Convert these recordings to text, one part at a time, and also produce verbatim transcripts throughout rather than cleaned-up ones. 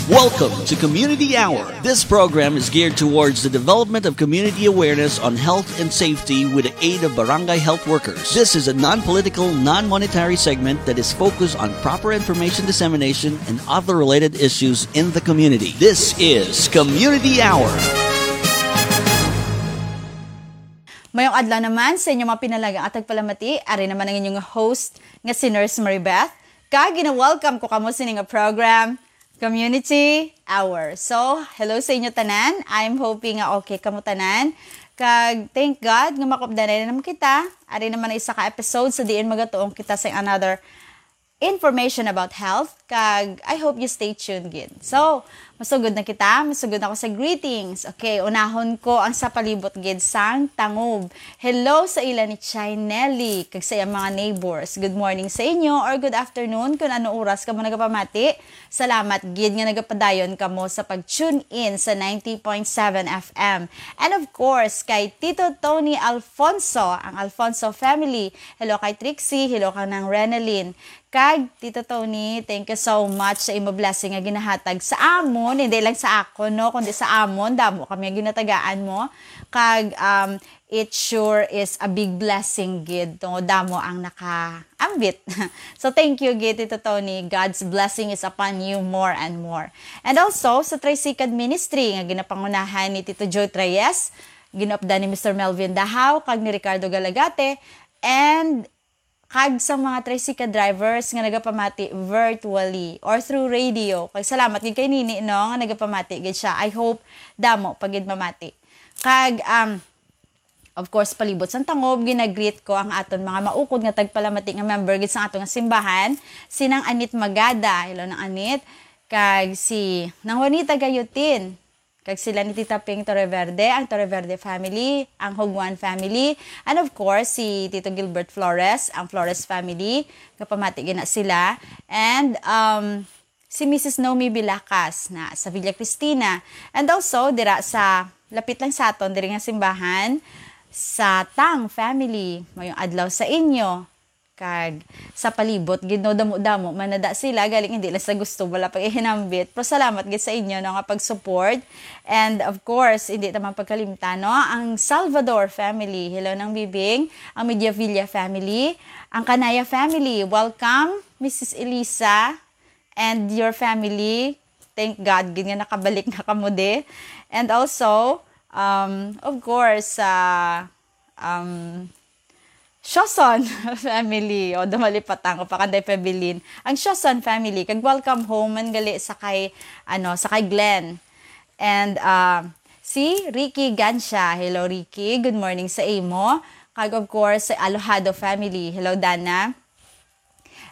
Welcome to Community Hour. This program is geared towards the development of community awareness on health and safety with the aid of barangay health workers. This is a non-political, non-monetary segment that is focused on proper information dissemination and other related issues in the community. This is Community Hour. Mayong adlaw naman sa inyo mga pinalangga at tagpalamati. Ari naman ang inyong host nga si Nurse Maribeth. Kag gina-welcome ko kamo sini nga program, Community Hour. So, hello sa inyo tanan. I'm hoping nga okay kamo tanan. Kag thank God nga makupdanay na naman kita. Ari naman ang isa ka episode sa diin magatuong kita sa another information about health. Kag I hope you stay tuned gid. So, masugod na kita. Masugod na ako sa greetings. Okay, unahon ko ang sa palibot gid sang Tangub. Hello sa ila ni Chay Nelly kag sa iyang mga neighbors. Good morning sa inyo or good afternoon kung ano oras kamo nagapamati. Salamat gid nga nagapadayon kamo sa pag-tune in sa ninety point seven F M. And of course, kay Tito Tony Alfonso, ang Alfonso family. Hello kay Trixie, hello kang Nang Renalyn. Kag Tito Tony, thank you so much sa imo blessing nga ginahatag sa amon, hindi lang sa akon, no, kundi sa amon, damo kami nga ginatagaan mo. Kag, um, it sure is a big blessing gid, tungod damo ang nakaambit. So, thank you gid, Tito Tony. God's blessing is upon you more and more. And also, sa Tricycad Ministry, nga ginapangunahan ni Tito Joe Treyes, ginaupdan ni Mister Melvin Dahaw, kag ni Ricardo Galagate, and kag sa mga tricycle drivers nga nagapamati virtually or through radio. Kag salamat gid kay Nini, no, nga nagapamati gid siya. I hope damo pa gid mamati. Kag, um, of course, palibot sang Tangub, ginagreet ko ang aton mga maukod nga tagpalamati nga member gid sa aton nga simbahan, si Nang Anit Magada. Hello, Nang Anit. Kag si Nang Juanita Gayutin. Kag sila ni Tita Ping Torreverde, ang Torreverde family, ang Hugwan family, and of course, si Tito Gilbert Flores, ang Flores family, nga pamati gina sila, and, um, si Missus Nomi Bilacas na sa Villa Cristina, and also dira sa lapit lang sa aton diri nga simbahan, sa Tang family. Mayong adlaw sa inyo. Kag sa palibot gid, no, damo-damo man na da sila, galing hindi lang sa gusto, wala pag-ihinambit. Pero salamat gid sa inyo, no, nga pag-support. And of course, hindi naman pagkalimtan, no, ang Salvador family. Hello, Nang Bibing, ang Mediavilla family, ang Kanaya family. Welcome, Missus Elisa and your family. Thank God gid nga nakabalik na kamo di. And also, um, of course, sa, um, Shoson family. O, dumalipatan ko pa kanday pabilin. Ang Shoson family, kag welcome home man gali sa kay, ano, sa kay Glenn. And, ah, si Ricky Gancia. Hello, Ricky. Good morning sa imo. Kag, of course, sa Alojado family. Hello, Dana.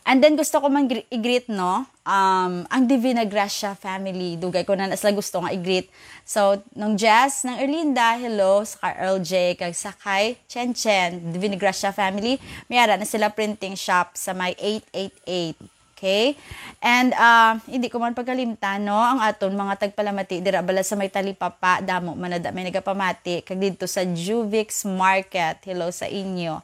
And then, gusto ko man gre-, i-greet, no? Um, ang Divina Gracia family. Dugay ko na na sila gusto nga i-greet. So, Nang Jess, Nang Erlinda, hello, sa kay Earl J, kag sa kay Chen Chen, Divina Gracia family. May ara na sila printing shop sa may eight eight eight. Okay? And, ah, hindi ko man pagkalimtan, no, ang aton mga tagpalamati dira bala sa may Talipapa, damo man na da may nagapamati, kag didto sa Juvix Market, hello sa inyo.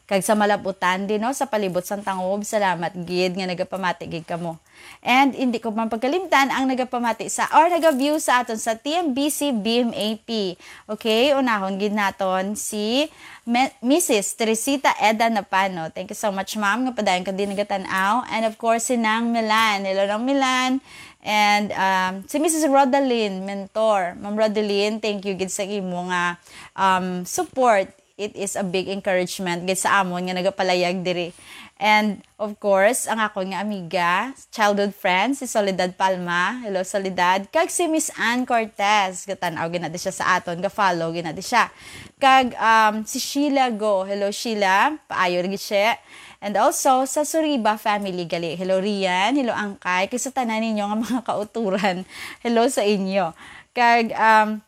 Kag sa Malabutan din, no, sa palibot sang Tangub, salamat gid nga nagapamati gid kamo. And hindi ko man pagkalimtan ang nagapamati sa, or naga-view sa aton sa T M B C B M A P. Okay, unahon gid naton si Me-, Missus Teresita Eda Napano. Thank you so much, ma'am, nga padayon ka din nagatan-aw. And of course, si Nang Milan. Hello, Nang Milan. And, um, si Missus Rodalyn Mentor. Ma'am Rodalyn, thank you gid sa imo nga, um, support. It is a big encouragement gid sa amon nga nagapalayag diri. And of course, ang akon nga amiga, childhood friend, si Soledad Palma. Hello, Soledad. Kag si Miss Ann Cortez. Gatan-aw gina di siya sa aton, ga-follow gina di siya. Kag, um, si Sheila Go. Hello, Sheila. Paayo lagi siya. And also, sa Suriba family gali. Hello, Rian. Hello, Angkay. Kag sa tanan ninyo nga mga kauturan. Hello sa inyo. Kag, um,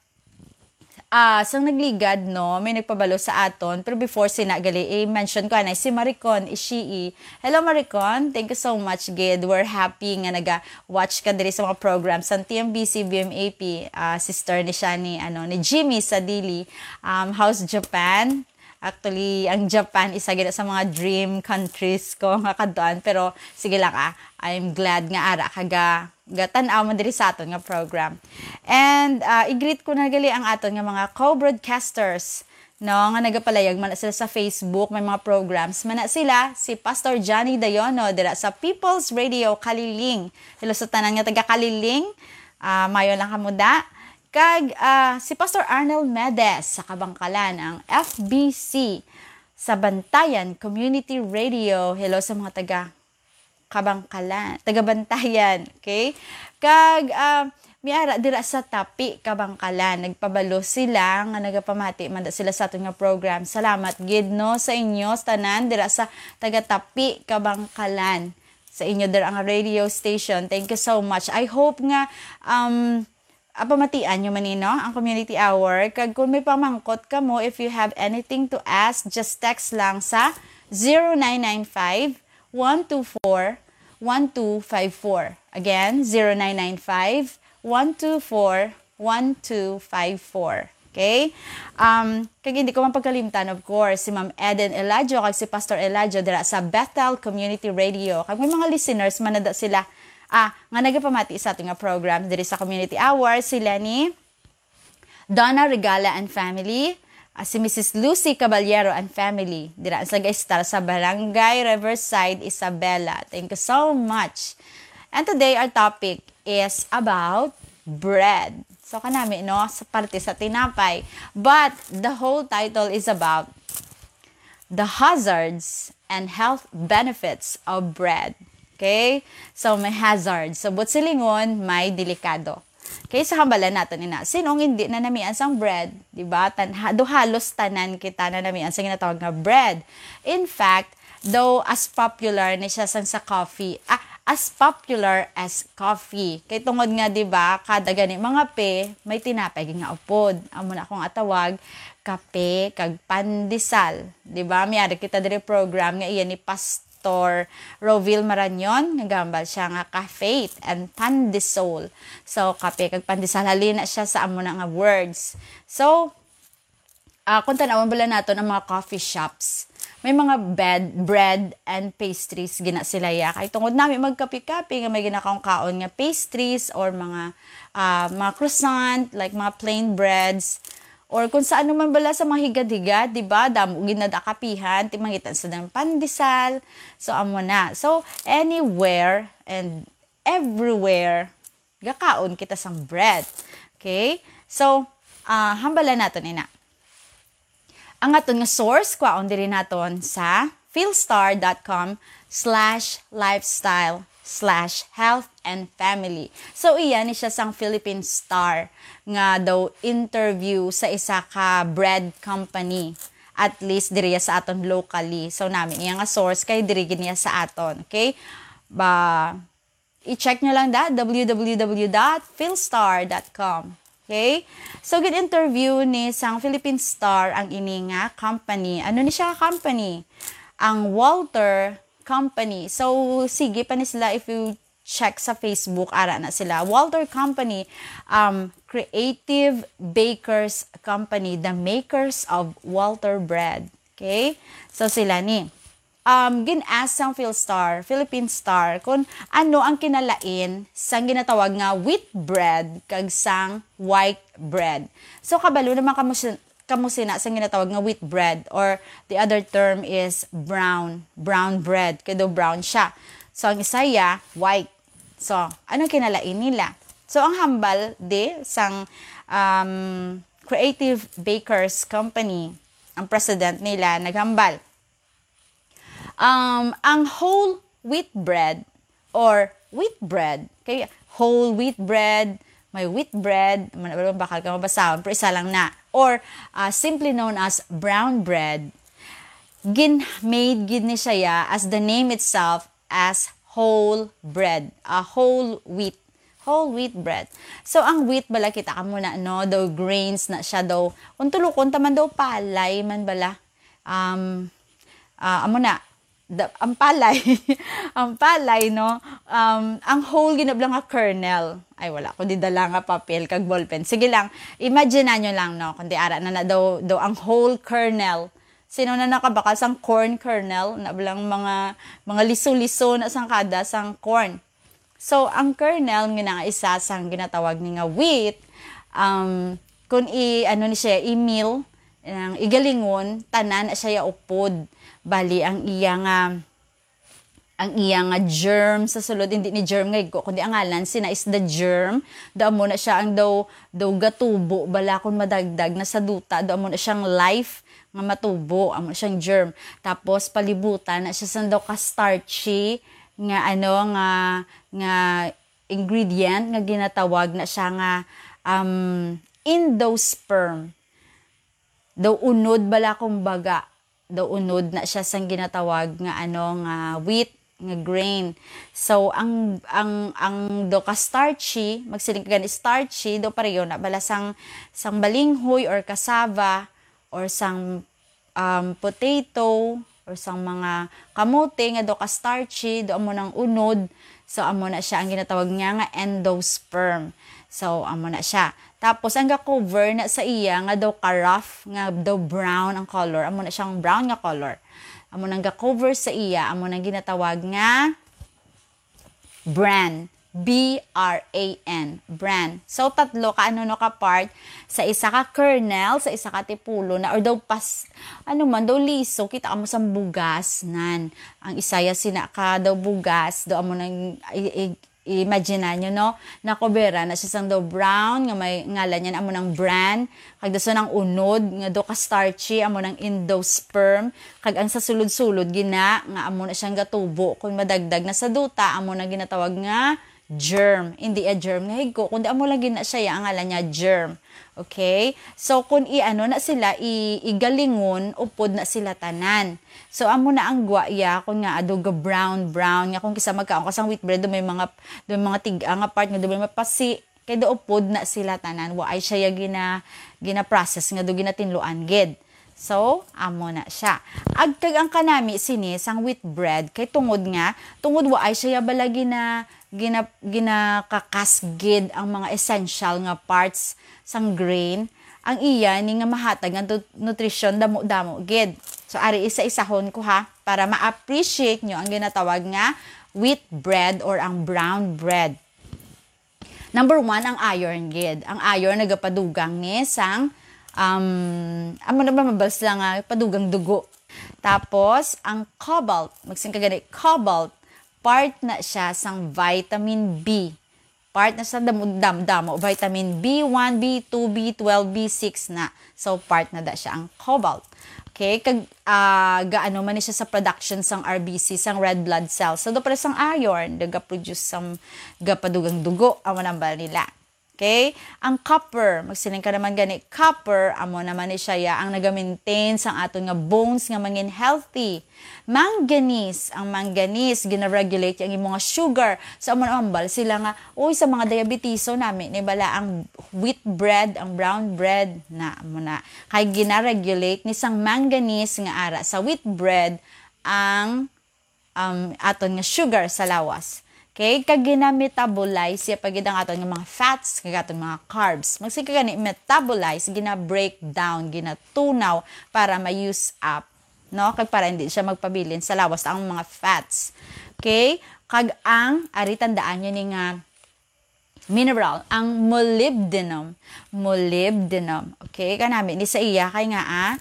Ah, sang nagligad, no, may nagpabalo sa aton. Pero before sina gali, i-mention ko anay si Maricon Ishii. Hello, Maricon. Thank you so much, gid. We're happy nga naga-watch ka diri sa mga programs sa T M B C B M A P. Ah, sister ni siya ni, ano, ni Jimmy sa Dili. Um, how's Japan? Actually, ang Japan isa gid sa mga dream countries ko nga kadtuan, pero sige lang, ah, I'm glad nga ara ka ga gatan-aw man diri sa aton nga program. And, ah, i-greet ko na gali ang aton nga mga co-broadcasters, no, nga nagapalayag man na sila sa Facebook, may mga programs man na sila, si Pastor Johnny Dayono dira sa People's Radio Kaliling. Hello sa tanan nga taga Kaliling. Ah, mayo lang kamo da. Kag, ah, si Pastor Arnel Medes sa Kabangkalan, ang F B C sa Bantayan Community Radio. Hello sa mga taga Kabangkalan, taga Bantayan, okay? Kag, ah, may ara dira sa Tapi, Kabangkalan. Nagpabalo sila nga nagapamati man da sila sa aton nga program. Salamat gid, no, sa inyo sa tanan dira sa taga Tapi, Kabangkalan, sa inyo dira nga radio station. Thank you so much. I hope nga, um, ah, pamatian nyo man ni, no, ang community hour. Kag kung may pamangkot kamo, if you have anything to ask, just text lang sa zero nine nine five, one two four, one two five four. Again, zero nine nine five, one two four, one two five four. Okay? Um, kag hindi ko man pagkalimtan, of course, si Ma'am Eden Eladio kag si Pastor Eladio dira sa Bethel Community Radio. Kag may mga listeners man na da sila, ah, nga nagapamati sa aton nga program diri sa Community Hour, sila ni Donna Regala and family, ah, si Missus Lucy Caballero and family, dira sa Gaistar sa Barangay Riverside, Isabela. Thank you so much. And today, our topic is about bread. So, kanami, no, sa parte sa tinapay. But the whole title is about the hazards and health benefits of bread. Okay? So, may hazards. So, buot silingon, may delikado. Okay, so hambalan naton ina. Sin-o ang hindi nanamian sang bread, di ba? Tan ha, do halos tanan kita nanamian sa ginatawag nga bread. In fact, though as popular ni siya sang sa coffee, ah, as popular as coffee. Kay tungod nga, di ba, kada gani mangape, may tinapay gid nga upod. Amo na akong atawag, kape kag pandesal. Di ba? May ara kita diri program nga iya ni Pastor Roville Marañon, nga gahambal siya nga ka-faith and pandesal. So, kape kag pandesal, halin na siya sa amo na nga words. So, ah, kung tan-awon bala naton ang mga coffee shops, may mga bed, bread and pastries gina sila ya. Kay tungod nami magkape-kape nga may ginakaon-kaon nga pastries or mga, ah, mga croissant, like mga plain breads, or kung sa ano man bala sa mga higad-higad, di ba? Damo gid na da kapihan, ti mangitan sa dang pandesal. So, amo na. So, anywhere and everywhere, gakaon kita sang bread. Okay? So, ah, hambalan naton ina. Ang aton nga source, kwaon diri naton sa philstar dot com slash lifestyle slash health and family. So, iya ni siya sang Philippine Star nga daw interview sa isa ka bread company. At least diri sa aton locally. So, nami niya nga source kay diri gid niya sa aton. Okay? Ba, i-check nyo lang da, w w w dot philstar dot com. Okay? So, gin-interview ni sang Philippine Star ang ini nga company. Ano ni siya company? Ang Walter Company. So, sige pa ni sila, if you check sa Facebook, ara na sila. Walter Company, um, Creative Bakers Company, the makers of Walter Bread. Okay? So, sila ni. Um, gin-ask sang Philstar, Philippine Star, kung ano ang kinalain sang ginatawag nga wheat bread kag sang white bread. So, kabalo naman kamo si-, kamo sina sang ginatawag nga wheat bread, or the other term is brown, brown bread. Kay daw brown siya. So, ang isa ya, white. So, anong kinalain nila? So, ang hambal di sang, um, Creative Bakers Company, ang president nila naghambal, Um, ang whole wheat bread or wheat bread, kay whole wheat bread, may wheat bread, man, wala, bakal ka mabasahon, pero isa lang na. Or, uh, simply known as brown bread, gin-made gid ni siya ya, as the name itself, as whole bread, a whole wheat. Whole wheat bread. So, ang wheat bala, kita ka muna, no? Daw grains na siya daw. Kung tulukon ta man daw, palay man bala. Um, ah, amo na, the, ang palay, ang palay, no? Um, ang whole ginabla nga kernel. Ay, wala ko di dala nga papel kag ballpen. Sige lang, imagine nyo lang, no? Kundi ara na na daw, daw ang whole kernel. Sino na nakabakal sang corn kernel? Na bala ang mga, mga liso-liso na sang kada sang corn. So, ang kernel nga na isa sang ginatawag ni nga wheat, um, kung i-, ano ni siya, i-mill, ang igalingon, tanan na siya ya upod. Bali, ang iya nga, ang iya nga germ sa sulod, hindi ni germ nga igko, kundi ang ngalan sina is the germ. Daw amo na siya ang daw, daw gatubo, bala kung madagdag na sa duta, daw amo na siyang life nga matubo, amo na siyang germ. Tapos, palibutan na siya sa daw ka starchy nga, ano, nga, nga ingredient nga ginatawag na siya nga, um, endosperm. Daw unod bala, kumbaga, daw unod na siya sang ginatawag nga, ano, nga wheat, nga grain. So, ang, ang, ang daw ka starchy, magsiling ka gani starchy, daw pareho na bala sang, sang balinghoy or cassava or sang, um, potato or sang mga kamote nga daw ka starchy, daw amo nang unod. So, amo na siya ang ginatawag niya nga endosperm. So, amo na siya. Tapos, ang ga-cover na sa iya nga daw ka rough, nga daw brown ang color. Amo na siyang brown nga color. Amo nang ga-cover sa iya, amo nang ginatawag nga bran. B R A N, bran. So, tatlo ka, ano, no, ka part sa isa ka kernel, sa isa ka tipulo na, or daw pas, ano man, daw liso, kita mo sang bugas, nan. Ang isa ya sina ka daw bugas, daw amo nang, i-, i-, imagine nyo, no? Nakubera na siya sang daw brown, nga may ngalan niya, amo nang bran. Kag dason ang unod, nga daw ka starchy, amo nang endosperm. Kag ang sa sulod-sulod, gina, nga amo na siyang gatubo. Kung madagdag na sa duta, amo na ginatawag nga germ. Hindi a germ nga higko, kundi amo lang gina siya, ang ngalan niya germ. Okay? So, kung i-ano na sila, i-, igalingon, upod na sila tanan. So, amo na ang gwa iya, kung nga ado ga brown, brown, nga kung kisa magkaon ka sang wheat bread, do may mga, do may mga tiga nga part nga do may mapasi, kay do upod na sila tanan, wa ay siya ya gina, gina-process nga do ginatinluan gid. So, amo na siya. Ag kag ang kanami sini sang wheat bread, kay tungod nga, tungod wa ay siya ya bala gina, gina, ginakakas gid ang mga essential nga parts sang grain, ang iya ni nga mahatag nga nut-, nutrisyon damo-damo gid. So, ari isa-isahon ko ha, para ma-appreciate nyo ang ginatawag nga wheat bread or ang brown bread. Number one, ang iron gid. Ang iron nagapadugang ni sang, um, amo na ba mabal sila nga padugang dugo. Tapos, ang cobalt, magsin ka gani, cobalt, part na siya sang vitamin B. Part na sa damo, dam, damo, vitamin B one, B two, B twelve, B six na. So, part na da siya ang cobalt. Okay? Kag, ah, gaano man ni siya sa production sang R B C, sang red blood cells. So, do para sang iron, do ga-produce sang gapadugang dugo, ang manambal nila. Okay? Ang copper, magsiling ka naman gani, copper, amo naman ni siya ya ang naga-maintain sang aton nga bones nga mangin healthy. Manganese, ang manganese, gina-regulate ang imong nga sugar. So, amo na mambal sila nga, uy, sa mga diabetiso nami, ni bala ang wheat bread, ang brown bread, na, amo na. Kay gina-regulate ni sang manganese nga ara sa wheat bread ang, um, aton nga sugar sa lawas. Okay? Kag gina-metabolize siya pa gid ang aton nga mga fats, kag aton mga carbs. Magsiling ka gani, metabolize, gina-break down, ginatunaw para ma-use up, no? Kag para hindi siya magpabilin sa lawas ang mga fats. Okay? Kag ang, ari, tandaan nyo ni nga mineral, ang molybdenum. Molybdenum. Okay? Kanami ni sa iya kay nga, ah,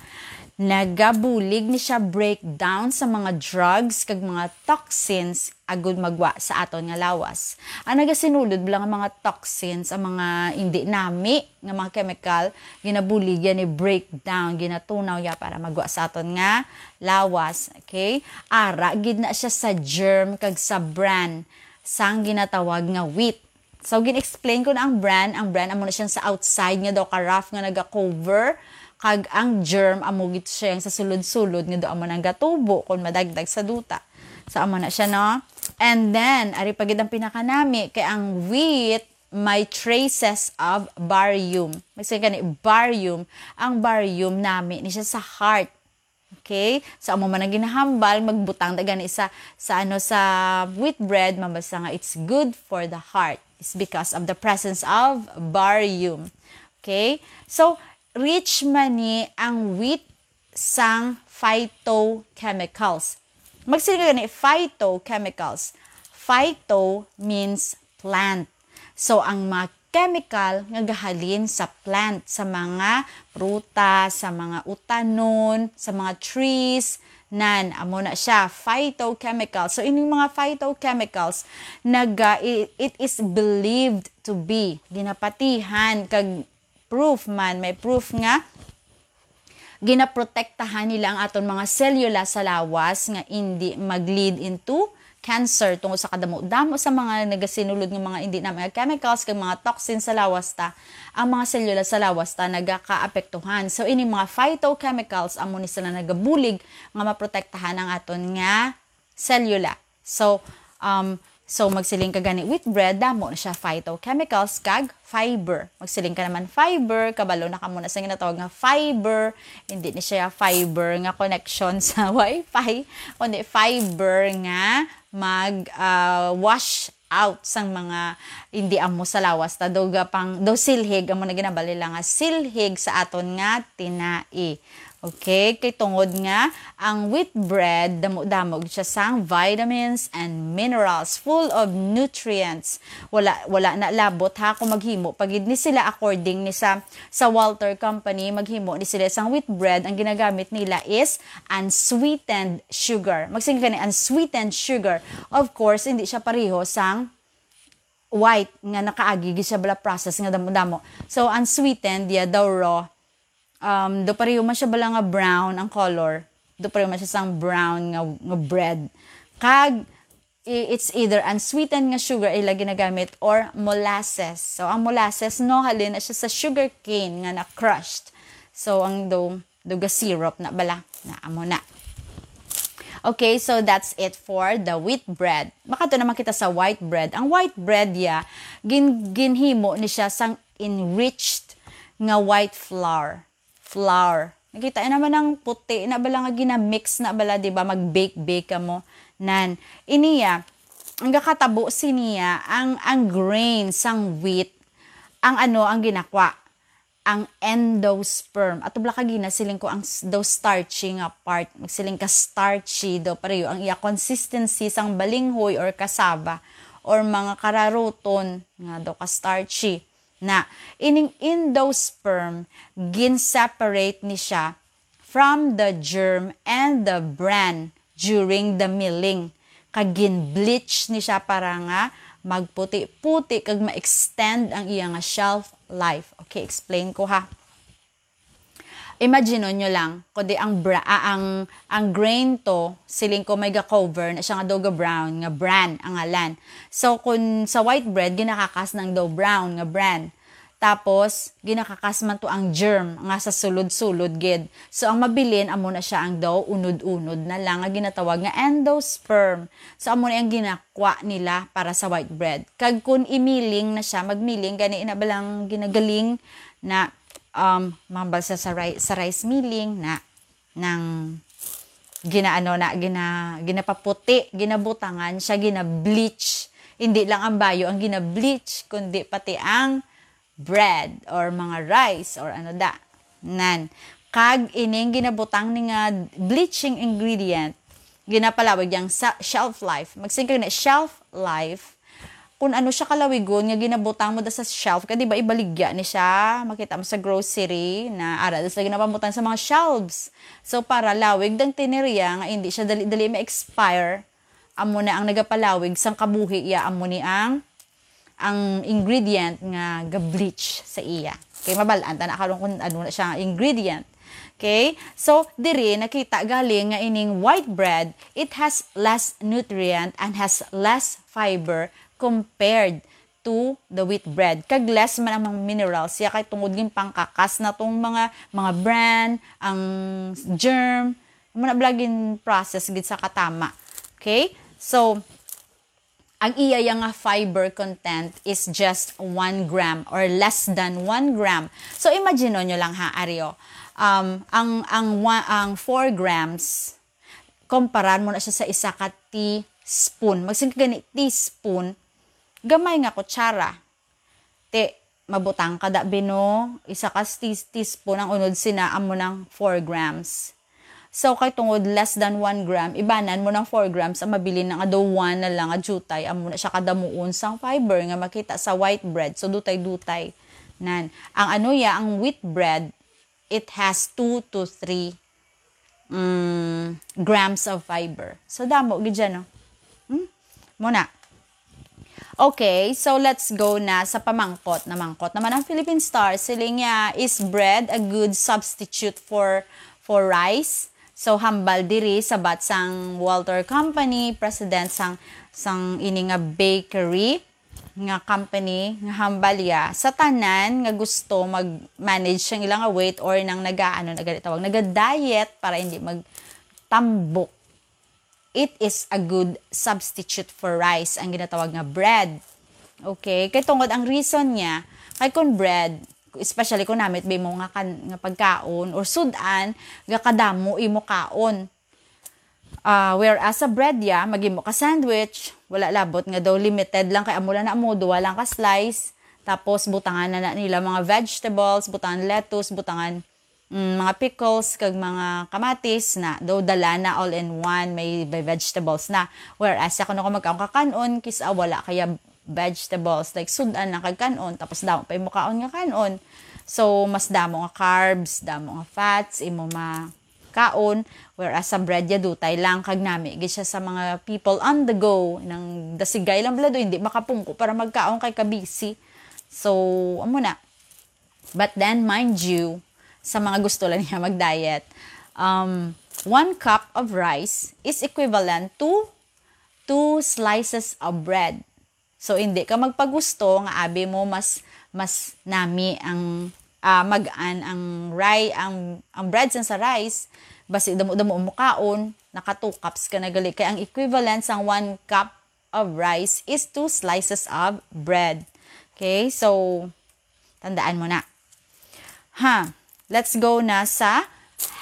nagabulig ni siya breakdown sa mga drugs kag mga toxins agud magwa sa aton nga lawas. Ang nagasinulod bala nga mga toxins, ang mga hindi nami nga mga chemical, ginabulig ya ni breakdown, ginatunaw ya para magwa sa aton nga lawas. Okay? Ara gid na siya sa germ kag sa bran sang ginatawag nga wheat. So, gin-explain ko na ang bran. Ang bran, amo na siyang sa outside nga daw ka rough nga naga-cover. Kag ang germ, amo gid siya yang sa sulod-sulod nga daw amo nang gatubo kung madagdag sa duta. So, amo na siya, no? And then, ari pa gid ang pinakanami, kay ang wheat may traces of barium. Magsiling ka ni barium. Ang barium, nami ni siya sa heart. Okay? So, amo man ang ginahambal, magbutang da gani sa, sa, ano, sa wheat bread, mabasa nga it's good for the heart. It's because of the presence of barium. Okay? So, rich man ni ang wheat sang phytochemicals. Magsiling ka gani, phytochemicals. Phyto means plant. So, ang mga chemical nga gahalin sa plant, sa mga prutas, sa mga utanon, sa mga trees, nan, amo na siya, phytochemical. So, ining mga phytochemicals, naga, i-, it is believed to be, ginapatihan, kag proof man, may proof nga ginaprotektahan nila ang aton mga selula sa lawas nga indi mag-lead into cancer tungod sa kadamo-damo sa mga nagasinulod nga mga indi na mga chemicals kag mga toxin sa lawas ta, ang mga selula sa lawas ta nagakaapektuhan. So, ini mga phytochemicals amo ni sila nagabulig nga maprotektahan ang aton nga selula. So, um, so magsiling ka gani wheat bread, damo na siya phytochemicals kag fiber. Magsiling ka naman fiber, kabalo na ka muna sa ginatawag nga fiber. Hindi ni siya fiber nga connection sa wifi, kundi fiber nga mag, ah, wash out sang mga hindi amo sa lawas ta. Daw gapang, daw silhig, amo na ginabali lang nga silhig sa aton nga tinai. Okay, kay tungod nga ang wheat bread, damo-damo gid siya sang vitamins and minerals, full of nutrients. Wala, wala na labot ha kung maghimo pa gid ni sila according ni sa, sa Walter Company, maghimo ni sila sang wheat bread, ang ginagamit nila is unsweetened sugar. Magsiling ka ni unsweetened sugar. Of course, hindi siya pareho sang white nga nakaagi gid siya bala process nga damo-damo. So, unsweetened, yeah, daw raw. Um, do pareho man siya bala nga brown ang color. Do pareho man siya sang brown nga, nga bread. Kag, i-, it's either unsweetened nga sugar ila ginagamit or molasses. So, ang molasses, no, halin na siya sa sugar cane nga na-crushed. So, ang do, do ga-syrup na bala. Na, amo na. Okay, so that's it for the wheat bread. Makadto naman kita sa white bread. Ang white bread, ya, gin-, ginhimo ni siya sang enriched nga white flour. Flour. Nakita na naman ang puti na bala nga ginamix na bala, di ba? Mag-bake-bake ka mo. Nan, iniya, ang gakatabo siniya, ang, ang grain sang wheat, ang ano, ang ginakwa, ang endosperm. Ato bala ka ginasiling ko ang s-, daw starchy nga part. Magsiling ka starchy daw, pareho ang iya consistency sang balinghoy or cassava or mga kararuton nga daw ka starchy. Na, ining endosperm, gin-separate ni siya from the germ and the bran during the milling. Kag gin-bleach ni siya para nga magputi-puti kag ma-extend ang iya nga shelf life. Okay, explain ko ha. Imagine nyo lang, kundi ang bra-, ah, ang, ang grain to, siling ko may ga-cover na siya nga daw ga-brown, nga bran ang ngalan. So, kung sa white bread, ginakakas ng daw brown nga bran. Tapos, ginakakas man to ang germ nga sa sulod-sulod gid. So, ang mabilin, amo na siya ang daw unod-unod na lang nga ginatawag nga endosperm. So, amo na ang ginakwa nila para sa white bread. Kag kung imiling na siya, magmiling, gani ina balang ginagaling na, um, mambal sa, sa, ri-, sa rice milling na nang ginaano na, gina-, ginapaputi, ginabutangan siya, gina-bleach. Hindi lang ang bayo ang gina-bleach, kundi pati ang bread or mga rice or ano da. Nan. Kag ining ginabutang ni nga bleaching ingredient, ginapalawig yang sa shelf life. Magsingkag na shelf life, kung ano siya kalawigon nga ginabutang mo da sa shelf, kay di ba ibaligya ni siya, makita mo sa grocery na ara da sila ginapamutang sa mga shelves. So, para lawig dang tiniriya nga hindi siya dali-dali ma-expire, amo na ang nagapalawig sang kabuhi iya, amo ni ang, ang ingredient nga ga-bleach sa iya. Okay, mabal-an ta na karon kung ano na siya nga ingredient. Okay? So, diri nakita galing nga ining white bread, it has less nutrient and has less fiber compared to the wheat bread. Kag less man ang mga minerals siya kay tungod gin pangkakas na tong mga, mga bran, ang germ, muna bala gin process gid sa katama. Okay? So, ang iya yang nga fiber content is just one gram or less than one gram. So, imagine nyo lang ha, Ario. Um, ang, ang, wa-, ang four grams, kumparan mo na siya sa isa ka teaspoon. Magsing ka gani, teaspoon, gamay nga kutsara. Ti, mabutang ka da, bino, isa ka tea-, teaspoon ang unod sina, amo nang four grams. So, kay tungod less than one gram, ibanan mo ng four grams ang mabilin na nga daw one na lang nga jutay. Amo na siya kadamuon sang fiber nga makita sa white bread. So, dutay-dutay. Nan. Ang ano ya, ang wheat bread, it has two to three, mm, grams of fiber. So, damo gid siya, no? Hmm? Muna. Okay, so let's go na sa pamangkot. Namangkot naman ang Philippine Star. Siling niya, "Is bread a good substitute for, for rice?" So, hambal diri sa bat sang Walter Company, president sang, sang ini nga bakery nga company, nga hambal ya sa tanan nga gusto mag-manage sang ilang weight or nang naga-, ano, naga-, tawag, naga-diet para hindi magtambok. It is a good substitute for rice, ang ginatawag nga bread. Okay? Kay tungod ang reason niya, kay kung bread, especially kung namit ba mo nga, kan, nga pagkaon or sudan, gakadamo imo kaon. Ah, whereas sa bread ya, maghimo ka sandwich, wala labot nga daw limited lang kay amo lang na amo, duwa lang ka slice, tapos butangan na, na nila mga vegetables, butangan lettuce, butangan, mm, mga pickles, kag mga kamatis na, daw dala na all in one, may, may vegetables na. Whereas, ako na ko magkaon ka kanon, kis-a wala kaya vegetables, like sudan lang kag kanon, tapos damo pa imo kaon nga kanon. So, mas damo nga carbs, damo nga fats, imo ma-, kaon, whereas sa bread ya dutay lang kag nami gid siya sa mga people on the go, nang dasigay lang bala do, hindi makapungko para magkaon kay kabisi. So, amo na. But then, mind you, sa mga gusto lang niya mag-diet, um, one cup of rice is equivalent to two slices of bread. So, hindi ka magpagusto nga abi mo mas, mas nami ang, ah, mag-an ang ri-, ang, ang bread sang sa rice, basi damo-damo mo kaon, naka two cups ka na gali. Kay ang equivalent sang one cup of rice is two slices of bread. Okay? So, tandaan mo na. Ha, let's go na sa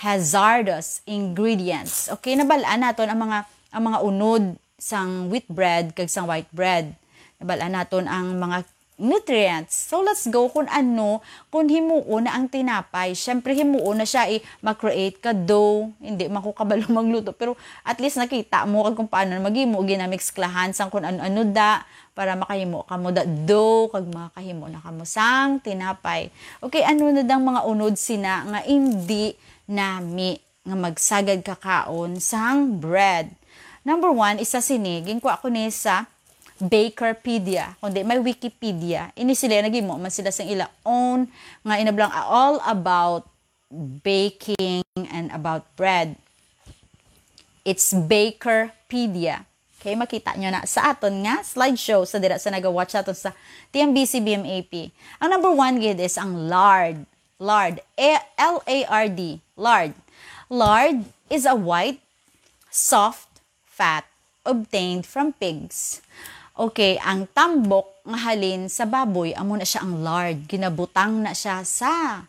hazardous ingredients. Okay, nabal-an naton ang mga, ang mga unod sang wheat bread kag sang white bread. Nabal-an naton ang mga nutrients. So, let's go kung ano, kung himuon na ang tinapay. Siyempre, himuon na siya, eh, ma-create ka dough. Hindi man ko kabalo magluto, pero at least nakita mo kag kung paano maghimo, ginamixklahan sang kung ano-ano da, para makahimo kamo da dough, kag makahimo na kamo sang tinapay. Okay, ano na dang mga unod sina nga indi nami nga magsagad kakaon sang bread? Number one, isa sini, ginkuha ko ni sa Bakerpedia, kundi may Wikipedia. Ini sila, naghimo man sila sang ila own nga inablang all about baking and about bread. It's Bakerpedia. Okay, makita nyo na sa aton nga slideshow sa dira sa naga-watch aton sa T M B C B M A P. Ang number one gid is ang lard. Lard. A-, L A R D. Lard. Lard is a white, soft fat obtained from pigs. Okay, ang tambok nga halin sa baboy, amo na siya ang lard. Ginabutang na siya sa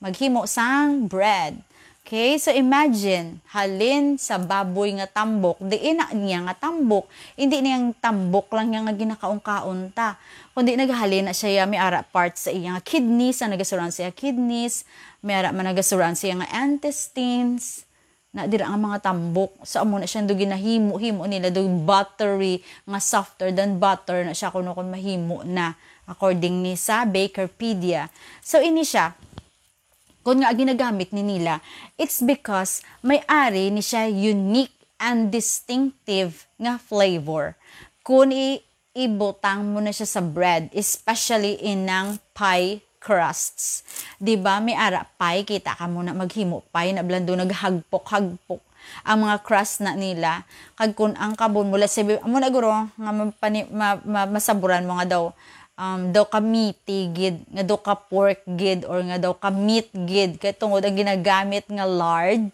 maghimo sang bread. Okay, so imagine, halin sa baboy nga tambok, diin na niya nga tambok. Hindi niya nga tambok lang niya nga ginakaon-kaon ta. Kundi naghalin na siya, may ara parts sa iya nga kidneys, ang nagasuran sa iya kidneys, may ara man nagasuran sa iya nga intestines. Na dira nga mga tambok. So, amo na siya do ginahimo-himo nila do buttery nga softer than butter na siya kuno kung mahimo na according ni sa Bakerpedia. So, ini siya, kung nga ginagamit ni nila, it's because may ari ni siya unique and distinctive nga flavor. Kung i-, ibutang mo na siya sa bread, especially inang pie crusts. Di ba, may ara pie, kita ka mo na maghimo pie, na blando, naghagpok-hagpok ang mga crust na nila. Kag kun ang kabon mo, let's say, amo na guro, nga mapani-, ma-, ma-, masaburan mo nga daw, um, daw ka meaty gid, nga daw ka pork gid, or nga daw ka meat gid, kay tungod ang ginagamit nga lard,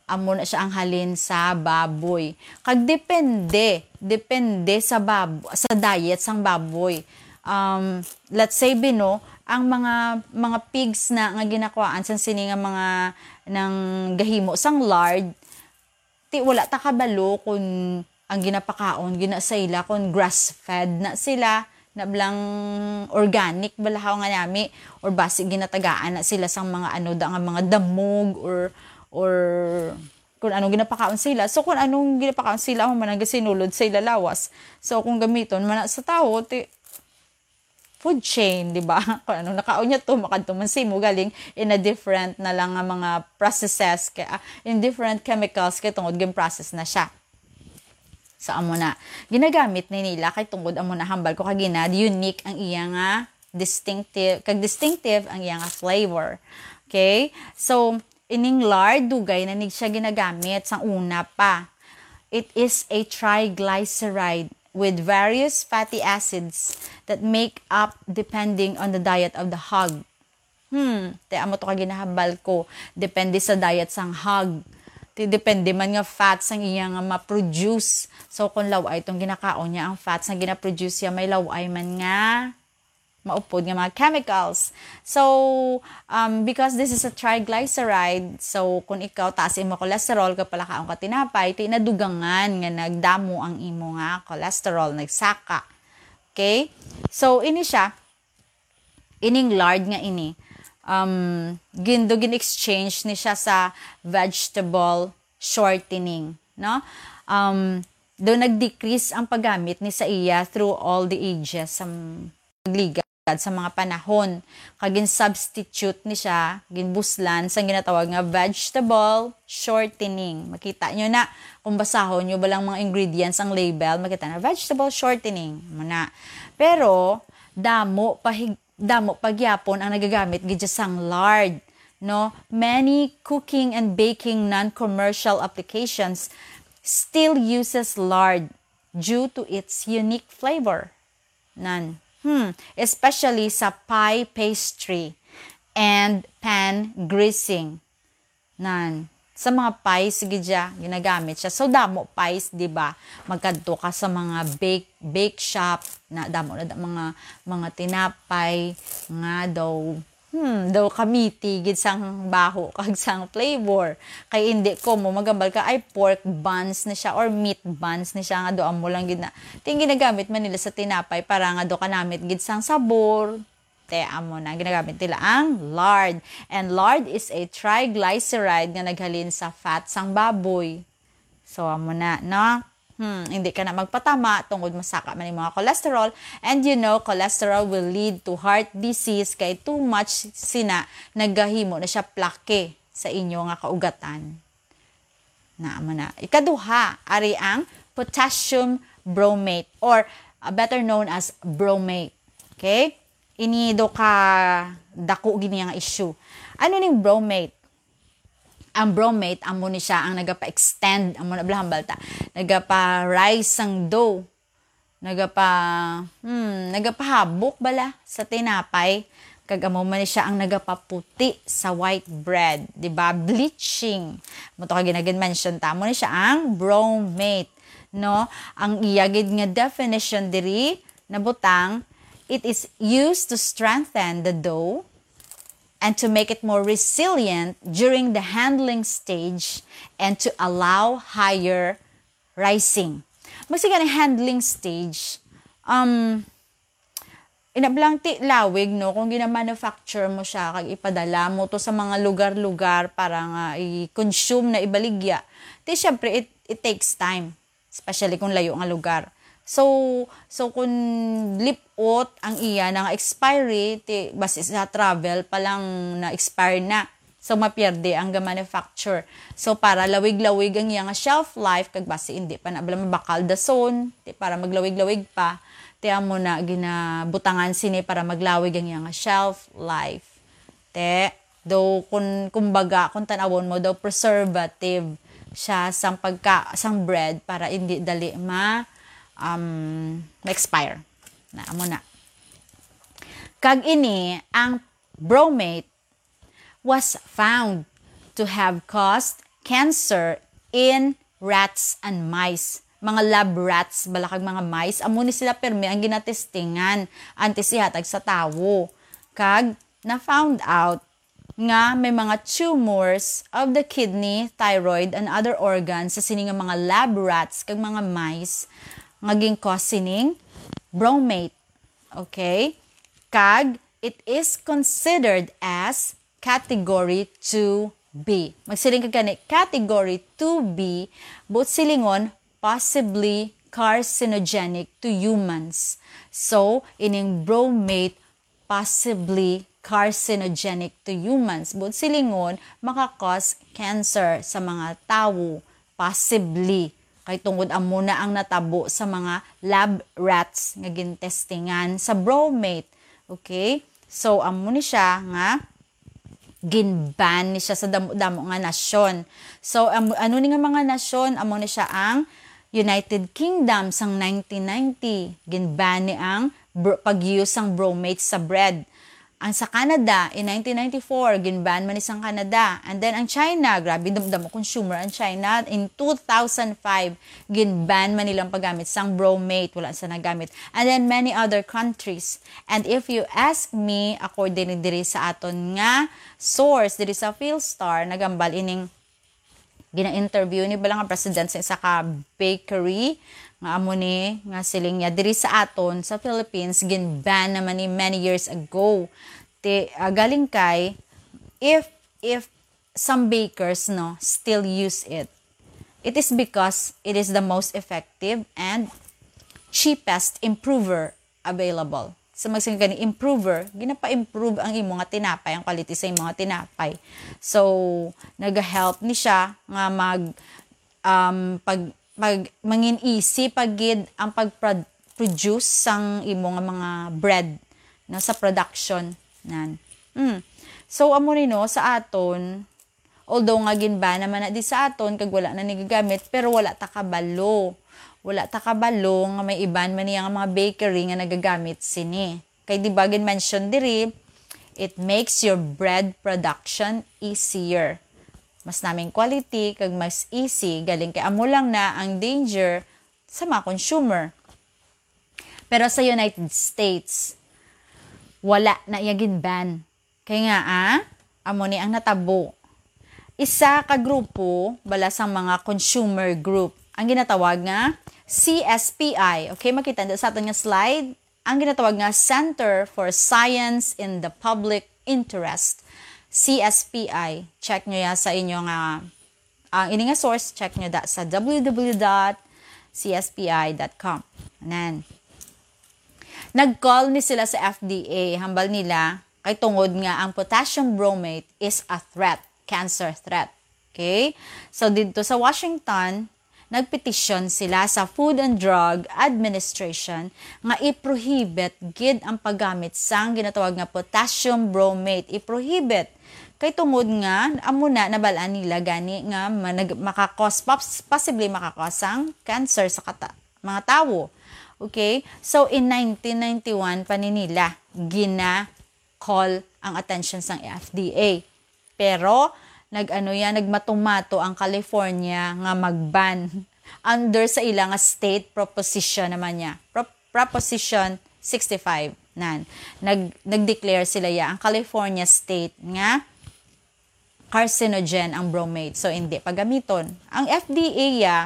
amo na siya ang halin sa baboy. Kag depende, depende sa bab-, sa diet sang baboy. Um, let's say, bino, ang mga, mga pigs na nga ginakuhaan sang sini nga mga nang gahimo sang lard, ti wala ta kabalo kung ang ginapakaon, gina sa ila, kung grass-fed na sila, na blang organic balahaw nga nami, or basi ginatagaan na sila sang mga ano da nga mga damog, or, or kung anong ginapakaon sila. So, kung anong ginapakaon sila, amo man ang gasinulod sa ila lawas. So, kung gamiton man na sa tawo, ti, food chain, di ba? Kung anong nakaon niya to, makadto man simo galing in a different na lang nga mga processes, kay, ah, in different chemicals, kay tungod gin-process na siya. So, amo na. Ginagamit ni nila kay tungod amo na hambal ko kagina, unique ang iya nga distinctive, kag distinctive ang iya nga flavor. Okay? So, ining lard, dugay na nig siya ginagamit sang una pa. It is a triglyceride with various fatty acids that make up depending on the diet of the hog. Hmm, te, amo to ka ginahambal ko. Depende sa diet sang hog. Ti, depende man nga fats ang iya nga ma-produce. So, kung law-ay itong ginakaon niya, ang fats na ginaproduce niya, may law-ay man nga maupod nga mga chemicals. So, um, because this is a triglyceride, so kung ikaw taas imo cholesterol, kag palakaon ka tinapay, ti nadugangan nga nagdamo ang imo nga cholesterol, nagsaka. Okay? So, ini siya, ining lard nga ini, um, gin-, do gin-exchange ni siya sa vegetable shortening, no? Um, do nag-decrease ang paggamit ni sa iya through all the ages, sa m-, pagligad sa mga panahon. Kag gin-substitute ni siya, ginbuslan sang ginatawag nga vegetable shortening. Makita nyo na, kung basahon nyo ba lang mga ingredients ang label, makita na, vegetable shortening. Muna. Pero, damo pa hig-, damo pa gyapon ang nagagamit gid sang lard, no? Many cooking and baking non-commercial applications still uses lard due to its unique flavor. Nan. Hmm, especially sa pie pastry and pan greasing. Nan. Sa mga pies, sige dya, ginagamit siya. So, damo pies, di ba? Magkadto ka sa mga bake, bake shop, na damo na da-, mga, mga tinapay nga daw, hmm, daw kamiti gid sang baho kag sang flavor. Kay hindi ko mo magambal ka, ay, pork buns na siya or meat buns na siya nga do amo lang gid na. Ting ginagamit man nila sa tinapay para nga do kanamit gid sang sabor. Te, amo na, ginagamit nila ang lard. And lard is a triglyceride nga naghalin sa fat sang baboy. So, amo na, no? Hmm, hindi ka na magpatama tungod masaka man yung mga cholesterol. And you know, cholesterol will lead to heart disease kay too much sina nagahimo na siya plaque sa inyo nga kaugatan. Na, amo na. Ikaduha, ari ang potassium bromate or, uh, better known as bromate. Okay? Ini do ka dako gini nga issue. Ano ning bromate? Ang bromate, amo ni siya ang nagapa-extend, amo na bala hambal ta, nagapa-rise sang dough, nagapa-, hmm, nagapahabok bala sa tinapay, kag amo man ni siya ang nagapaputi sa white bread, di ba? Bleaching. Mo to ka ginagin-mention ta, amo ni siya ang bromate, no? Ang iya gid nga definition diri, nabutang, it is used to strengthen the dough and to make it more resilient during the handling stage and to allow higher rising. Magsiga ni handling stage, um, inablang ti lawig, no, kung gina-manufacture mo siya, kag ipadala mo to sa mga lugar-lugar para nga i-consume na ibaligya. Ti, syempre, it, it takes time, especially kung layo nga lugar. So, so kung lip-ot ang iya na nga expiry, ti, basi sa travel pa lang na-expire na. So, mapierde ang ga-manufacture. So, para lawig-lawig ang iya nga shelf life, kag basi hindi pa na bala mabakal dason, ti, para maglawig-lawig pa, ti, amo na ginabutangan sini para maglawig ang iya nga shelf life. Te, do, kun, kumbaga, kung tanawon mo, daw preservative siya sang pagka-, sang bread para hindi dali ma-, um, ma-expire. Na, amo na. Kag ini, ang bromate was found to have caused cancer in rats and mice. Mga lab rats, bala kag mga mice, amo ni sila pirmi ang ginatestingan antes ihatag sa tawo. Kag na-found out nga may mga tumors of the kidney, thyroid, and other organs sa sini nga mga lab rats kag mga mice nga gin-cause sining bromate. Okay? Kag it is considered as category two B. Magsiling ka gani, category two B, buot silingon, possibly carcinogenic to humans. So, ining bromate, possibly carcinogenic to humans. Buot silingon, maka-cause cancer sa mga tawo. Possibly. Kay tungod amo na ang natabo sa mga lab rats nga gintestingan sa bromate. Okay? So, amo ni siya nga gin-ban ni siya sa damo-damo nga nasyon. So, am-, ano ni nga mga nasyon? Amo ni siya ang United Kingdom sang nineteen ninety. Gin-ban ni ang bro-, pag-use sang bromate sa bread. Ang sa Canada, in nineteen ninety-four, gin-ban man ni sang Canada. And then ang China, grabe, dam-, damo consumer ang China. In two thousand five, gin-ban man nilang paggamit sang bromate. Wala sa nagamit. And then many other countries. And if you ask me, according diri sa aton nga source, diri sa Philstar, nagambal ining gina-interview ni bala nga president sa isa ka bakery nga amo ni nga siling niya diri sa aton sa Philippines, gin-ban naman ni many years ago. Ti, ah, galing kay, if, if some bakers, no, still use it, it is because it is the most effective and cheapest improver available. So, magsiling ka ni improver, ginapa-improve ang imo nga tinapay, ang quality sa imo nga tinapay. So, nag-help ni siya nga mag, um, pag, pag, mangin easy pag gid ang pag-produce sang imo nga mga bread, no, sa production. Nan. Mm. So, amo ni, no, sa aton, although nga gin-ban naman na di sa aton kag wala na ni gagamit, pero wala ta kabalo. Wala ta kabalo nga may iban man niya nga mga bakery nga nagagamit sini. Kay di ba gin-mention diri, it makes your bread production easier. Mas naming quality kag mas easy, galing kay amo lang na ang danger sa mga consumer. Pero sa United States, wala na iya gin-ban. Kay nga, ah, amo ni ang natabo. Isa ka grupo, bala sang mga consumer group, ang ginatawag nga C S P I. Okay, makita nyo sa aton nga slide. Ang ginatawag nga Center for Science in the Public Interest, C S P I. Check nyo ya sa inyo nga, ang ini nga source, check nyo da sa W W W dot C S P I dot com. Nan. Nag-call ni sila sa F D A, hambal nila, kay tungod nga ang potassium bromate is a threat, cancer threat. Okay? So, didto sa Washington, nagpetisyon sila sa Food and Drug Administration nga i-prohibit gid ang paggamit sang ginatawag nga potassium bromate. I-prohibit. Kay tungod nga, amo na, nabal-an nila gani nga manag-, makakos-, pos-, possibly makakos sang cancer sa kata-, mga tawo. Okay? So, in nineteen ninety-one pa ni nila gina-call ang attention sang F D A. Pero, nag-ano yan, nagmatumato ang California nga mag-ban under sa ila nga state proposition naman niya. Pro-, Proposition sixty-five. Nan, nag-, nag-declare sila ya, ang California state nga carcinogen ang bromate. So, hindi pagamiton. Ang F D A ya,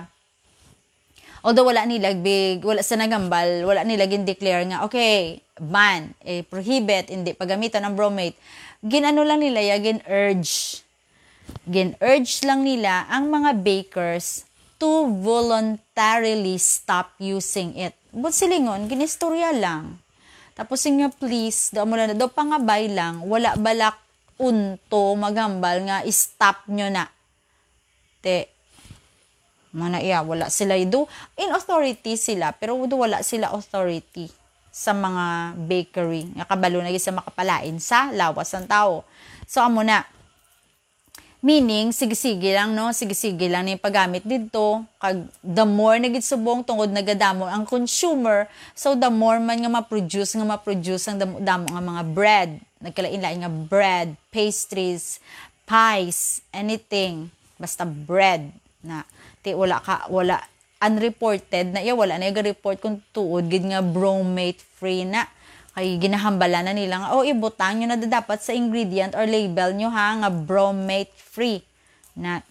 although wala nila big, wala sa nagambal, wala nila gin-declare nga, okay, ban, eh, prohibit, hindi pagamiton ang bromate. Gin-ano lang nila ya, gin-urge. Gin-urge lang nila ang mga bakers to voluntarily stop using it. But silingon, ginistorya lang. Tapos yun nga, please, daw mo lang, daw pangabay lang, wala balak unto maghambal nga i-stop nyo na. Te, mo na iya, wala sila do. In authority sila, pero do wala sila authority sa mga bakery nga kabalo na gid sa makapalain sa lawas ng tao. So, amo na. Meaning, sige-sige lang, no? Sige-sige lang ni paggamit didto. Kag the more na gid subong, tungod nagadamo ang consumer, so the more man nga ma-produce, nga ma-produce ang damo-damo nga mga bread. Nagkalain-lain nga bread, pastries, pies, anything. Basta bread na. Ti wala ka, wala, unreported na iya, wala na iya ga-report kung tuod gid nga bromate free na. Kay ginahambalan na nila nga, "Oh, ibutang nyo na da-, dapat sa ingredient or label nyo ha, nga bromate free." Na,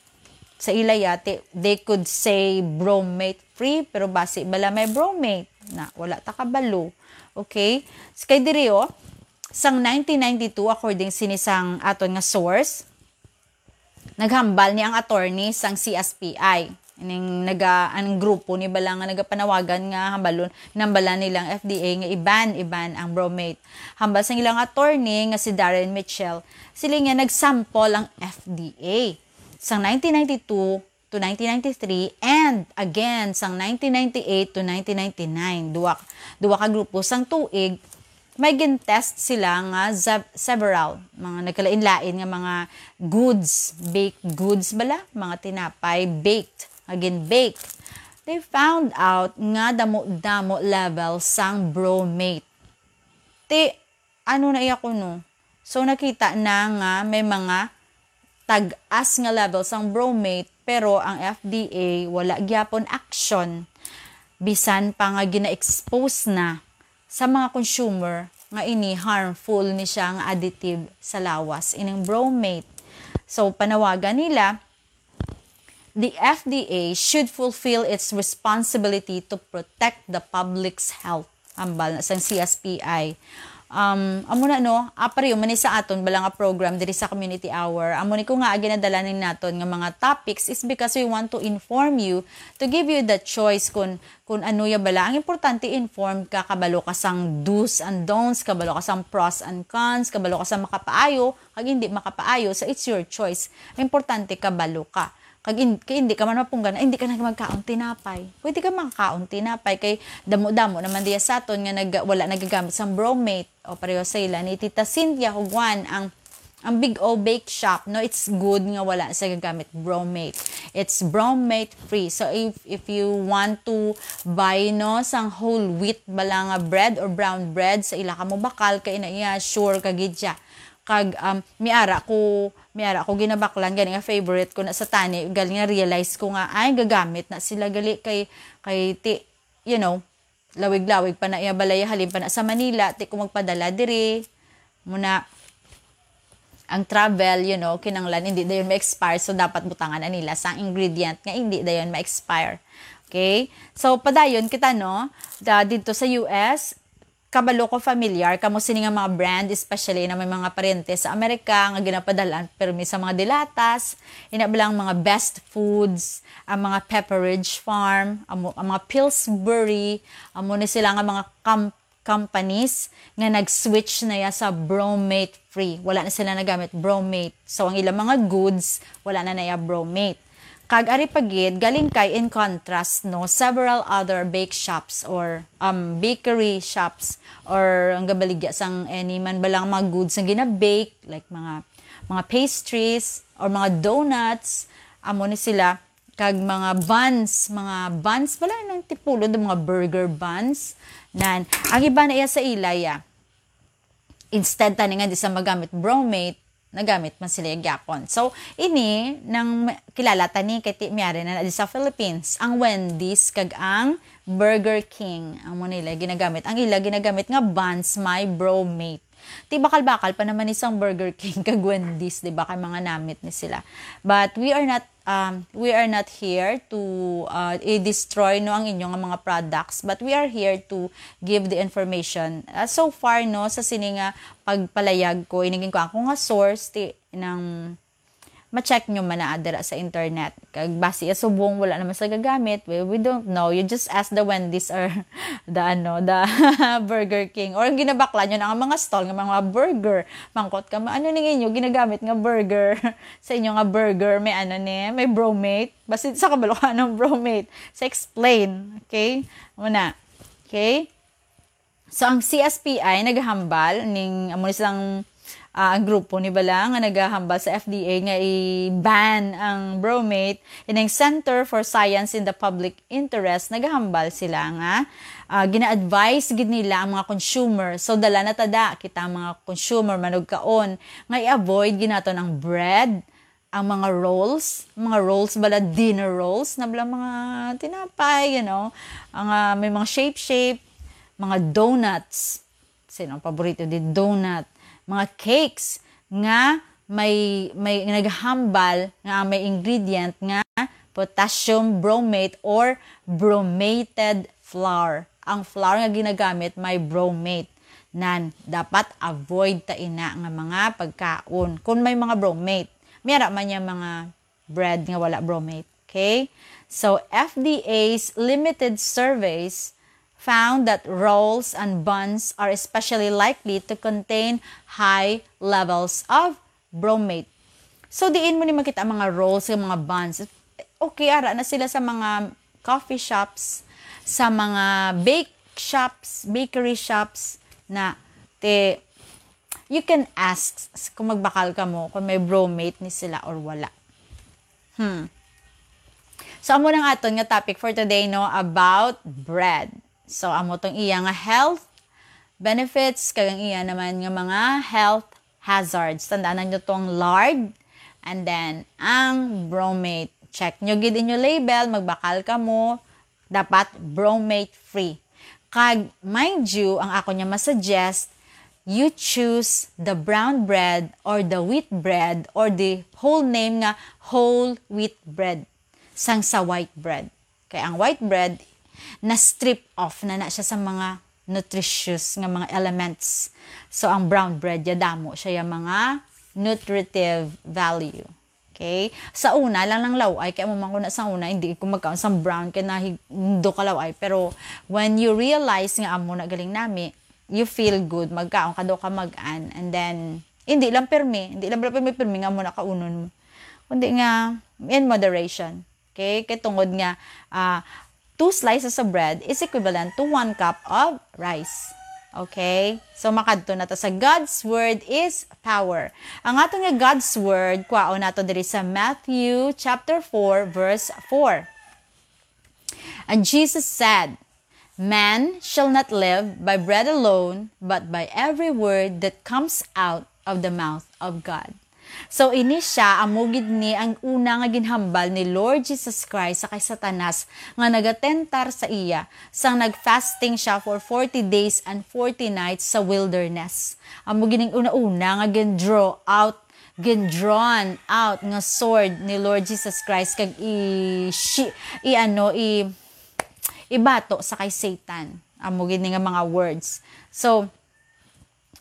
sa ila yati, they could say bromate free, pero basi bala may bromate? Na, wala ta kabalo. Okay? S-, kay diri, oh, sang nineteen ninety-two, according sini sang aton nga source, Naghambal ni ang attorney sang C S P I. Ining naga-, ang grupo ni bala nga nagapanawagan nga hambalon, nambalan nilang F D A nga i-ban, i-ban ang bromate. Hambal sang ilang attorney nga si Darren Mitchell, sila nga nag-sample ang F D A sang nineteen ninety-two to nineteen ninety-three and again sang nineteen ninety-eight to nineteen ninety-nine. Duwa, duwa ka grupo sang tuig, may gin-test sila nga ze-, several, mga nagkalain-lain nga mga goods, baked goods bala, mga tinapay, baked, nga gin-bake. They found out nga damo-damo level sang bromate. Ti, ano na iya kuno? So, nakita na nga may mga tag-as nga level sang bromate, pero ang F D A wala gyapon action, bisan pa nga gina-expose na sa mga consumer nga ini harmful ni siya nga additive sa lawas, ining bromate. So, panawagan nila, the F D A should fulfill its responsibility to protect the public's health. Hambal na sang C S P I. Um, amo na, no, ah, pareho man ni sa aton bala nga program diri sa Community Hour. Amo ni ko nga ginadala ni naton nga mga topics is because we want to inform you, to give you the choice kung, kung ano ya bala. Ang importante, informed ka, kabalo ka sang do's and don'ts, kabalo ka sang pros and cons, kabalo ka sang makapaayo, kag hindi makapaayo, so it's your choice. Ang importante, kabalo ka. Kag in-, kay hindi ka man mapunggan, ay, hindi ka na magkaon tinapay. Pwede ka makakaon tinapay kay damo-damo naman diya sa aton nga nag-, wala nagagamit sang bromate. O pareho sa ila ni Tita Cynthia Huguan, ang, ang Big O Bake Shop, no, it's good nga wala sa gagamit bromate. It's bromate free. So if, if you want to buy, no, sang whole wheat bala nga bread or brown bread, sa ila ka mo bakal kay ina iya, sure ka gid siya. Kag, um, miara ko, miara ko ginabaklan gani nga favorite ko na sa tani, gali nga realize ko nga, ay, gagamit na sila gali kay, kay ti, you know, lawig-lawig pa na iya balay, halin pa na sa Manila, ti ko magpadala diri. Muna, ang travel, you know, kinanglan hindi dayon ma-expire, so dapat butangan na nila sang ingredient nga hindi dayon ma-expire. Okay? So, padayon kita, no? Da, dito sa U S, kabalo ko, familiar kamo sini nga mga brand, especially na may mga paryente sa Amerika nga ginapadalan permi sa mga dilatas, ina bala ang mga Best Foods, ang mga Pepperidge Farm, amo, ang mga Pillsbury, amo ni sila nga mga com-, companies nga nag-switch na ya sa bromate free. Wala na sila nagamit bromate. So, ang ilang mga goods, wala na na ya bromate. Kag ari pa gid, galing kay, in contrast, no, several other bake shops or, um, bakery shops or ang gabaligya sang any man balang mga goods nga gina-bake, like mga, mga pastries or mga donuts, amo ni sila, kag mga buns, mga buns bala nang tipulod, mga burger buns. Nan, ang iba na iya sa ila ya. Instead tani nga di sa magamit bromate, nagamit man sila gyapon. So, ini nang kilala tani kay ti-, miyari na, na di sa Philippines, ang Wendy's kag ang Burger King. Amo nila ginagamit. Ang ila ginagamit nga buns may bromate. Ti bakal-bakal pa naman ni sang Burger King kag Wendy's, di ba? Kay mga namit ni sila. But we are not, um, we are not here to, uh, i-destroy, no, ang inyo nga mga products, but we are here to give the information. Uh, so far, no, sa sini nga pagpalayag ko, inigin ko ako nga source, ti, nang ma-check nyo man na dira sa internet. Kag basi ya subong wala naman sa gagamit, we, we don't know. You just ask the Wendy's or the, ano, the Burger King. Or ang ginabakla nyo na nga mga stall nga mga burger. Mangkot ka, "Ma-, ano ning inyo ginagamit nga burger? Sa inyo nga burger, may ano ni, may bromate?" Basi sa kabalo ka ng bromate. Sa explain, okay? Muna. Okay? So, ang C S P I nagahambal ning, amo ni silang, ah, ang grupo ni bala nga nagahambal sa F D A nga i-ban ang bromate, ining Center for Science in the Public Interest nagahambal sila nga, ah, gina-advise gid nila ang mga consumer. So, dala na tada kita ang mga consumer manugkaon nga i-avoid ginaton ang bread, ang mga rolls, mga rolls bala, dinner rolls, na bala mga tinapay, you know, ang, ah, may mga shape-shape, mga donuts. Sino ang paborito di donut? Mga cakes nga may, may naghambal nga may ingredient nga potassium bromate or bromated flour. Ang flour nga ginagamit may bromate. Nan, dapat avoid ta ina nga mga pagkaon kung may mga bromate. May ara man niya mga bread nga wala bromate. Okay? So, F D A's limited surveys found that rolls and buns are especially likely to contain high levels of bromate. So, diin mo ni makita ang mga rolls, ang mga buns? Okay, ara na sila sa mga coffee shops, sa mga bake shops, bakery shops na te, you can ask s-, kung magbakal ka mo, kung may bromate ni sila or wala. Hmm. So, amo nang aton nga topic for today, no, about bread. So, amo tong iya nga health benefits, kag ang iya naman nga mga health hazards. Tandaan nyo tong lard, and then ang bromate. Check nyo gid inyo label, magbakal ka mo, dapat bromate free. Kag, mind you, ang ako niya masuggest, you choose the brown bread or the wheat bread or the whole name nga whole wheat bread sang sa white bread. Kay ang white bread, na-strip off na na siya sa mga nutritious nga mga elements. So, ang brown bread, ya damo siya yung mga nutritive value. Okay? Sa una, lang lang law-ay, kaya mo man ko na sa una, hindi ko magkaon sa brown, kaya nahindo ka law-ay. Pero, when you realize nga amo na galing nami, you feel good, magkaon ka daw ka mag-an, and then, hindi lang permi, hindi lang pala permi, permi nga mo na kaunon mo. Kundi nga, in moderation. Okay? Kay tungod nga, ah, two slices of bread is equivalent to one cup of rice. Okay? So, makadto na ta sa God's word is power. Ang aton nga God's word, kwaon nato diri sa Matthew chapter four, verse four. And Jesus said, "Man shall not live by bread alone, but by every word that comes out of the mouth of God." So, ini siya, amo gid ni ang una nga ginhambal ni Lord Jesus Christ sa kay Satanas nga nagatentar sa iya, sang nagfasting siya for forty days and forty nights sa wilderness. Amo gid ang una-una nga gin-draw out, gin-drawn out nga sword ni Lord Jesus Christ, kag i-, shi-, i-, ano, i-, ibato sa kay Satan. Amo gid ni nga mga words. So,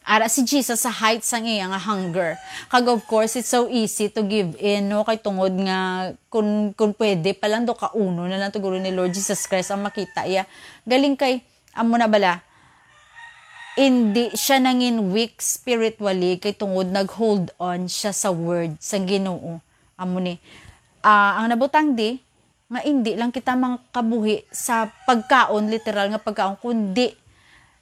ara si Jesus sa height sang iya nga hunger. Kag of course, it's so easy to give in, no? Kay tungod nga, kun, kun pwede pa lang do, kauno na lang tuguro ni Lord Jesus Christ ang makita iya. Galing kay, amo na bala, hindi siya nangin weak spiritually kay tungod nag-hold on siya sa word sang Ginoo. Amo ni, ah, ang nabutang di, nga indi lang kita makabuhi sa pagkaon, literal nga pagkaon, kundi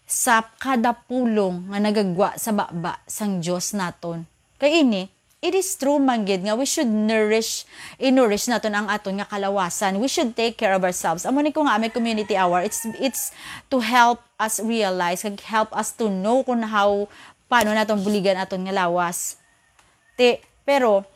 sa kada pulong nga nagagwa sa baba sang Dios naton. Kay ini, it is true man gid nga we should nourish, i-nourish naton ang aton nga kalawasan. We should take care of ourselves. Amo ni ko nga may community hour, it's, it's to help us realize, kag help us to know kung how, paano naton buligan aton nga lawas. Ti, pero,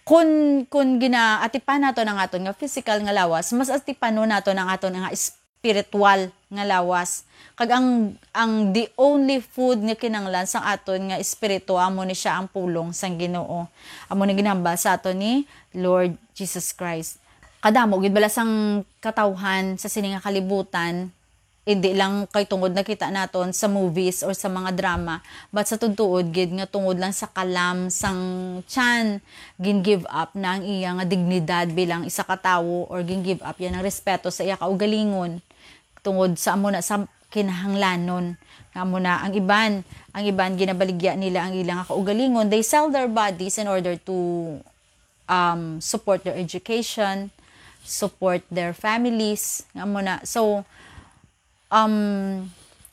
kun, kun ginaatipan naton ang aton nga physical nga lawas, mas atipanon naton ang aton nga spiritual nga lawas. Kag ang, ang the only food nga kinahanglan sang aton nga espiritu, amo ni siya ang pulong sang Ginoo. Amo ni ginhambal sa aton ni Lord Jesus Christ. Kadamo gid bala sang katawhan sa sini nga kalibutan, hindi lang kay tungod nakita naton sa movies or sa mga drama, but sa tuod-tuod gid nga tungod lang sa kalam sang tiyan, gin-give up na ang iya nga dignidad bilang isa ka tawo, or gin-give up yan ang respeto sa iya kaugalingon tungod sa amo na sa kinahanglanon. Nga amo na ang iban, ang iban ginabaligya nila ang ila nga kaugalingon. They sell their bodies in order to, um, support their education, support their families. Nga amo na. So, um,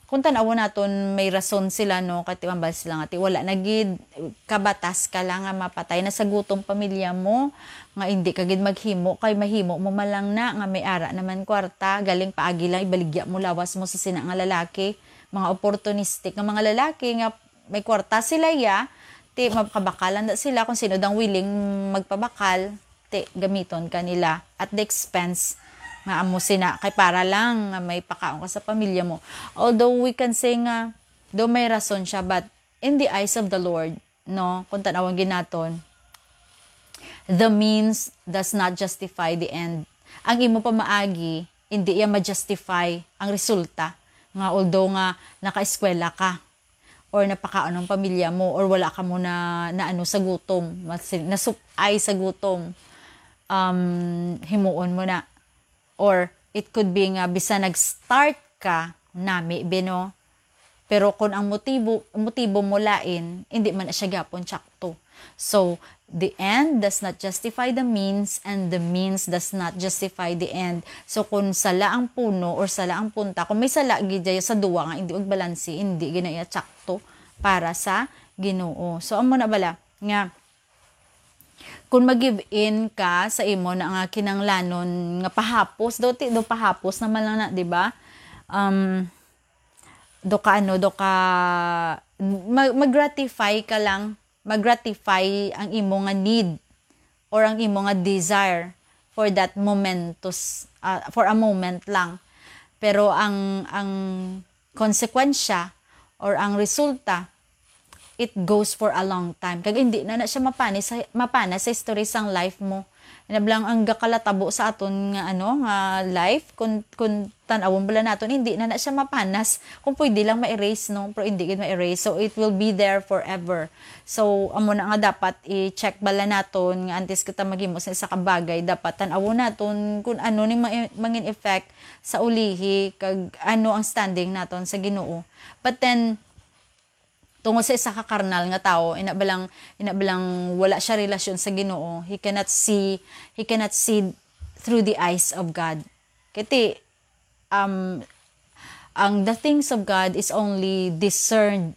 kung tan-awon naton, may rason sila, no, kay tiwambal sila nga ti wala na gid kabatas ka lang nga mapatay na sa gutom pamilya mo, nga hindi ka gid maghimo, kay mahimo mo man lang na nga may ara naman kwarta, galing paagi lang ibaligya mo lawas mo sa sina nga lalaki, mga opportunistic nga mga lalaki nga may kwarta sila ya, ti mapakabakalan da sila kung sino dang willing magpabakal, ti gamiton ka nila at the expense nga amo sina kay para lang nga may pakaon ka sa pamilya mo. Although we can say nga do may rason siya, but in the eyes of the Lord, no, kung tan-awon gid naton, the means does not justify the end. Ang imo pamaagi, hindi iya ma-justify ang resulta nga although nga nakaeskwela ka, or napakaon ang pamilya mo, or wala ka mo na, na ano sa gutom, mas-, nasupay sa gutom, um, himuon mo na. Or it could be nga bisan nag-start ka, nami, bino, pero kung ang motibo, motibo mo lain, hindi man na siya gyapon tsakto. So, the end does not justify the means, and the means does not justify the end. So, kung sala ang puno or sala ang punta, kung may sala gid dyan sa duwa nga hindi magbalanse, hindi gid na iya tsakto para sa Ginoo. So, amo na bala nga kung mag-give in ka sa imo na nga kinanglanon nga pahapos, do ti, do pahapos naman lang na, di ba? Um, do ka ano, do ka, mag-, mag-gratify ka lang, mag-gratify ang imo nga need or ang imo nga desire for that momentous, ah, for a moment lang. Pero ang, ang konsekwensya or ang resulta, it goes for a long time. Kag hindi na na siya mapanis sa, mapanas sa history sang life mo. Inablang ang gakalatabo sa aton nga, ano, nga life, kung, kung tan-awon bala naton, hindi na na siya mapanas. Kung pwede lang ma-erase, no? Pero hindi gid ma-erase. So, it will be there forever. So, amo na nga dapat i-check bala naton nga antes kita maghimo sa isa ka bagay, dapat tan-awon naton kung ano ni ma-, mangin effect sa ulihi, kag ano ang standing naton sa Ginoo. But then, tungod sa isa ka karnal nga tawo, ina balang, ina balang wala siya relasyon sa Ginoo, he cannot see, he cannot see through the eyes of God. Kati, um, ang the things of God is only discerned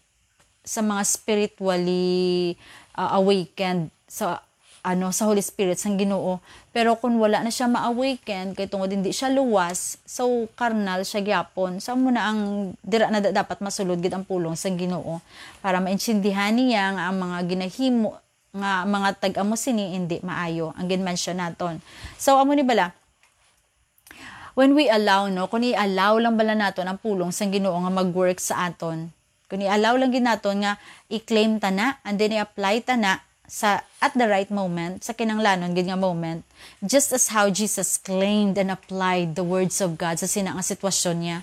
sa mga spiritually, uh, awakened, sa, ano, sa Holy Spirit sang Ginoo. Pero kung wala na siya ma-awaken, kay tungod hindi siya luwas, so karnal siya gyapon. So, amo na ang dira na da-, dapat masulod gid ang pulong sang Ginoo para maintindihan niya nga ang mga ginahimo nga mga tag-amo sini hindi maayo ang ginmensyon naton. So, amo ni bala, when we allow, no, kung i-allow lang bala naton ang pulong sang Ginoo nga mag-work sa aton, kung i-allow lang gid naton nga i-claim ta na, and then i-apply ta na sa, at the right moment, sa kinanglanon gid nga moment, just as how Jesus claimed and applied the words of God sa sina nga sitwasyon niya.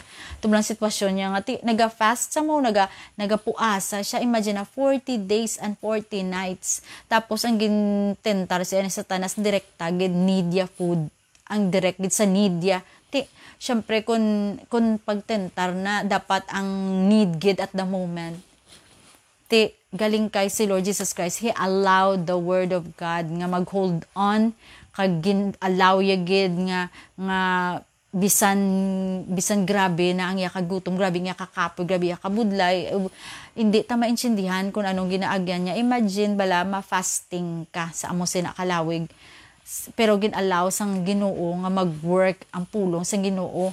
Tublang sitwasyon niya nga ti-, naga-fast sa mo, naga-, nagapuasa siya. Imagine na, forty days and forty nights. Tapos ang gintentar siya ni Satanas, direkta gid, need ya food. Ang direct gid sa need ya. Ti, syempre, kun, kun pagtentar na, dapat ang need gid at the moment. Ti, galing kay si Lord Jesus Christ, He allowed the Word of God nga mag-hold on, kag gin-allow ya gid nga, nga bisan, bisan grabe na ang iya kagutom, grabe ang iya kakapoy, grabe iya kabudlay, uh, hindi ta maintindihan kung anong ginaagyan niya. Imagine bala, ma-fasting ka sa amo sina kalawig, s-, pero gin-allow sang Ginoo nga mag-work ang pulong sang Ginoo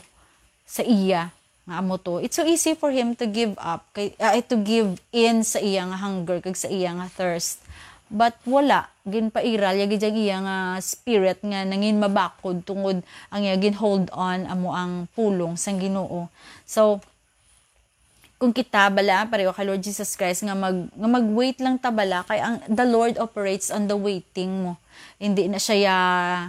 sa iya nga amo to. It's so easy for him to give up, kay, ah, to give in sa iya nga hunger kag sa iya nga thirst. But wala, ginpairal ya gid ang iya nga spirit nga nangin mabakod tungod ang iya gin-hold on amo ang pulong sang Ginoo. So, kung kita bala, pareho kay Lord Jesus Christ, nga mag-, nga mag-wait lang ta bala, kay ang, the Lord operates on the waiting mo. Hindi na siya ya-,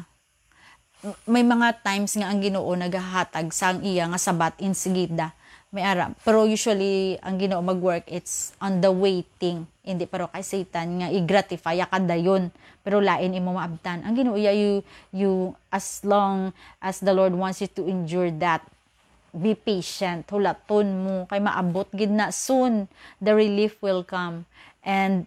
may mga times nga ang Ginoo nagahatag sang iya nga sabat insigida. May ara, pero usually ang Ginoo mag-work, it's on the waiting. Hindi pero kay Satan nga i-gratify ka dayon, pero lain imo maabtan. Ang Ginoo, yeah, you, you, as long as the Lord wants you to endure that, be patient, hulaton mo, kay maabot gid na soon. The relief will come. And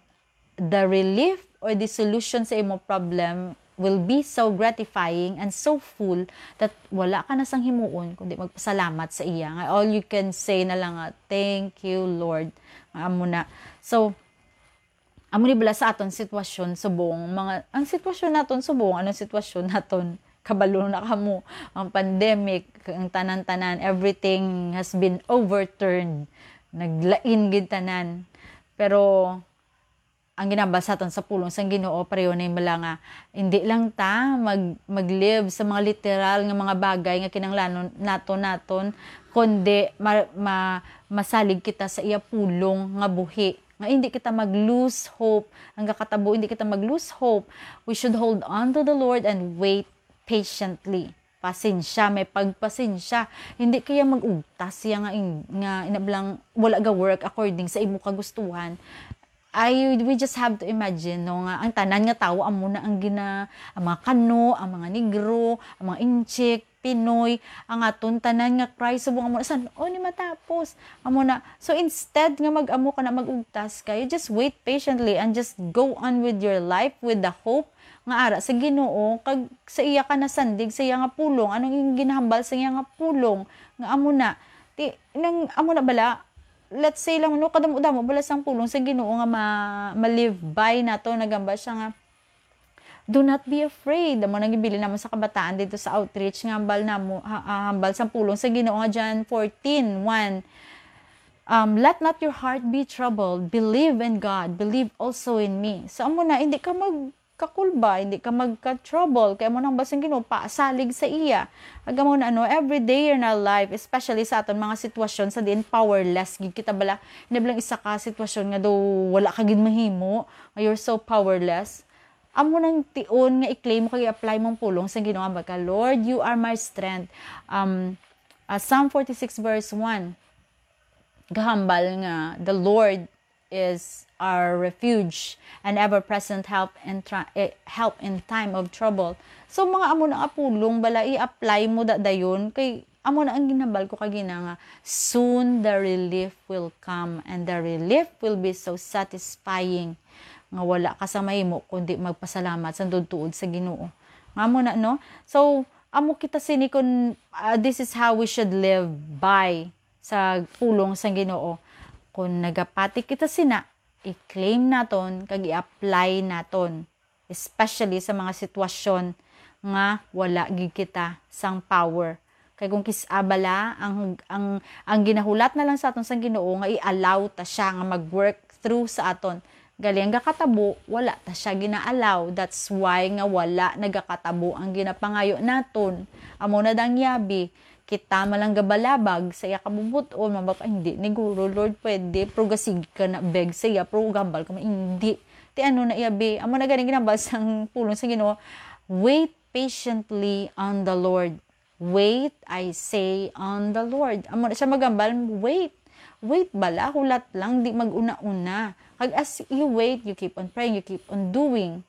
the relief or the solution sa imo problem will be so gratifying and so full that wala ka na sang himuon kundi magpasalamat sa iya. Nga all you can say na lang nga, "Thank you, Lord." Nga amo na. So, amo ni bala sa aton sitwasyon subong mga, ang sitwasyon naton subong, anong sitwasyon naton? Kabalo na kamo, ang pandemic, ang tanan-tanan, everything has been overturned. Naglain gid tanan. Pero ang ginambal sa aton sa pulong sang Ginoo, pareho na yung bala nga, hindi lang ta mag-, mag-live sa mga literal nga mga bagay nga kinanglanon naton, naton, kundi ma-, ma-, masalig kita sa iya pulong nga buhi. Nga hindi kita mag-lose hope. Ang kakatabo, hindi kita mag-lose hope. We should hold on to the Lord and wait patiently. pasensya, may pagpasensya. Hindi kaya mag-ugtas siya nga in-, nga inablang wala ga work according sa imo kagustuhan. I, we just have to imagine, no, nga ang tanan nga tawo amo na ang gina-, ang mga Kano, ang mga Negro, ang mga Intsik, Pinoy, ang aton tanan nga cry subong amo na, san-o ni matapos? Amo na. So, instead nga mag-amo ka na, mag-ugtas ka, you just wait patiently and just go on with your life with the hope nga ara sa Ginoo, kag sa iya ka nasandig, sa iya nga pulong. Anong ginahambal sa iya nga pulong? Nga amo na. Ti, nang amo na bala, let's say lang, no, kadamo-damo bala sang pulong sa Ginoo nga ma-, ma-live by nato, nagamba siya nga, "Do not be afraid." Amo nang gibili naman sa kabataan dito sa outreach nga hambal namo, ha-, ah, hambal sang pulong sa Ginoo nga John fourteen one. Um, "Let not your heart be troubled. Believe in God. Believe also in me." So, amo na, hindi ka magkakulba, hindi ka magka-trouble. Kaya mo nang basang Ginoo, pasalig sa iya. Aga mo na, ano, every day in our life, especially sa aton mga sitwasyon sa diin powerless gid kita bala. Hindi lang isa ka sitwasyon nga daw wala ka gid mahimo, nga you're so powerless. Amo nang tion nga i-claim mo kag i-apply mong pulong sa Ginoo, nga ka, "Lord, you are my strength." Um, ah, Psalm forty-six verse one, gahambal nga, "The Lord is our refuge and ever-present help in tra-, eh, help in time of trouble." So, mga amo na nga pulong bala, i-apply mo da dayon, kay amo na ang ginhambal ko kagina nga, "Soon the relief will come, and the relief will be so satisfying," nga wala ka sa mahimo kundi magpasalamat sa tuod-tuod sa Ginoo. Nga amo na, no? So, amo kita sini kun, ah, this is how we should live by sa pulong sang Ginoo. Kung nagapati kita sina, i-claim naton kag i-apply naton, especially sa mga sitwasyon nga wala gid kita sang power. Kay kung kis-a bala, ang, ang, ang ginahulat na lang sa aton sang Ginoo nga i-allow ta siya nga mag-work through sa aton. Gali ang gakatabo, wala ta siya gina-allow. That's why nga wala nagakatabo ang ginapangayo naton. Amo na dang yabi, kita man lang gabalabag sa iya kabubut-on, mabaka, "Hindi ni guro, Lord, pwede, pero gasig ka na, beg sa iya, pero gambal ka man, hindi." Ti ano na iya, be? Amo na gani ginambal sang pulong sa Ginoo, "Wait patiently on the Lord." Wait, I say, on the Lord. Amo na siya magambal, wait. Wait bala, hulat lang, di mag-una-una. Kag as you wait, you keep on praying, you keep on doing.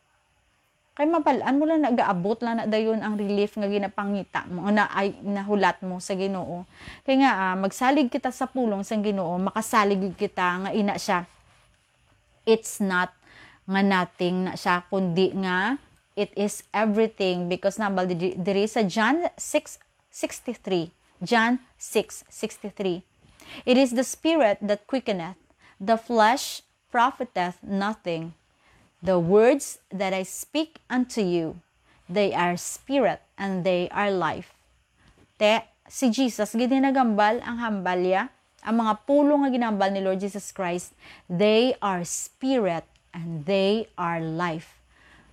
Kay mabal-an mo lang, nagaabot lang na dayon ang relief nga ginapangita mo, na ay, nahulat mo sa Ginoo. Kay nga, ah, magsalig kita sa pulong sang Ginoo, makasalig gid kita nga ina siya. It's not nga nothing na siya, kundi nga it is everything, because nambal diri, diri sa John six sixty-three. John six sixty-three. "It is the Spirit that quickeneth, the flesh profiteth nothing. The words that I speak unto you, they are spirit and they are life." Te, si Jesus gid ni nagambal ang hambal ya. Ang mga pulong nga ginambal ni Lord Jesus Christ, they are spirit and they are life.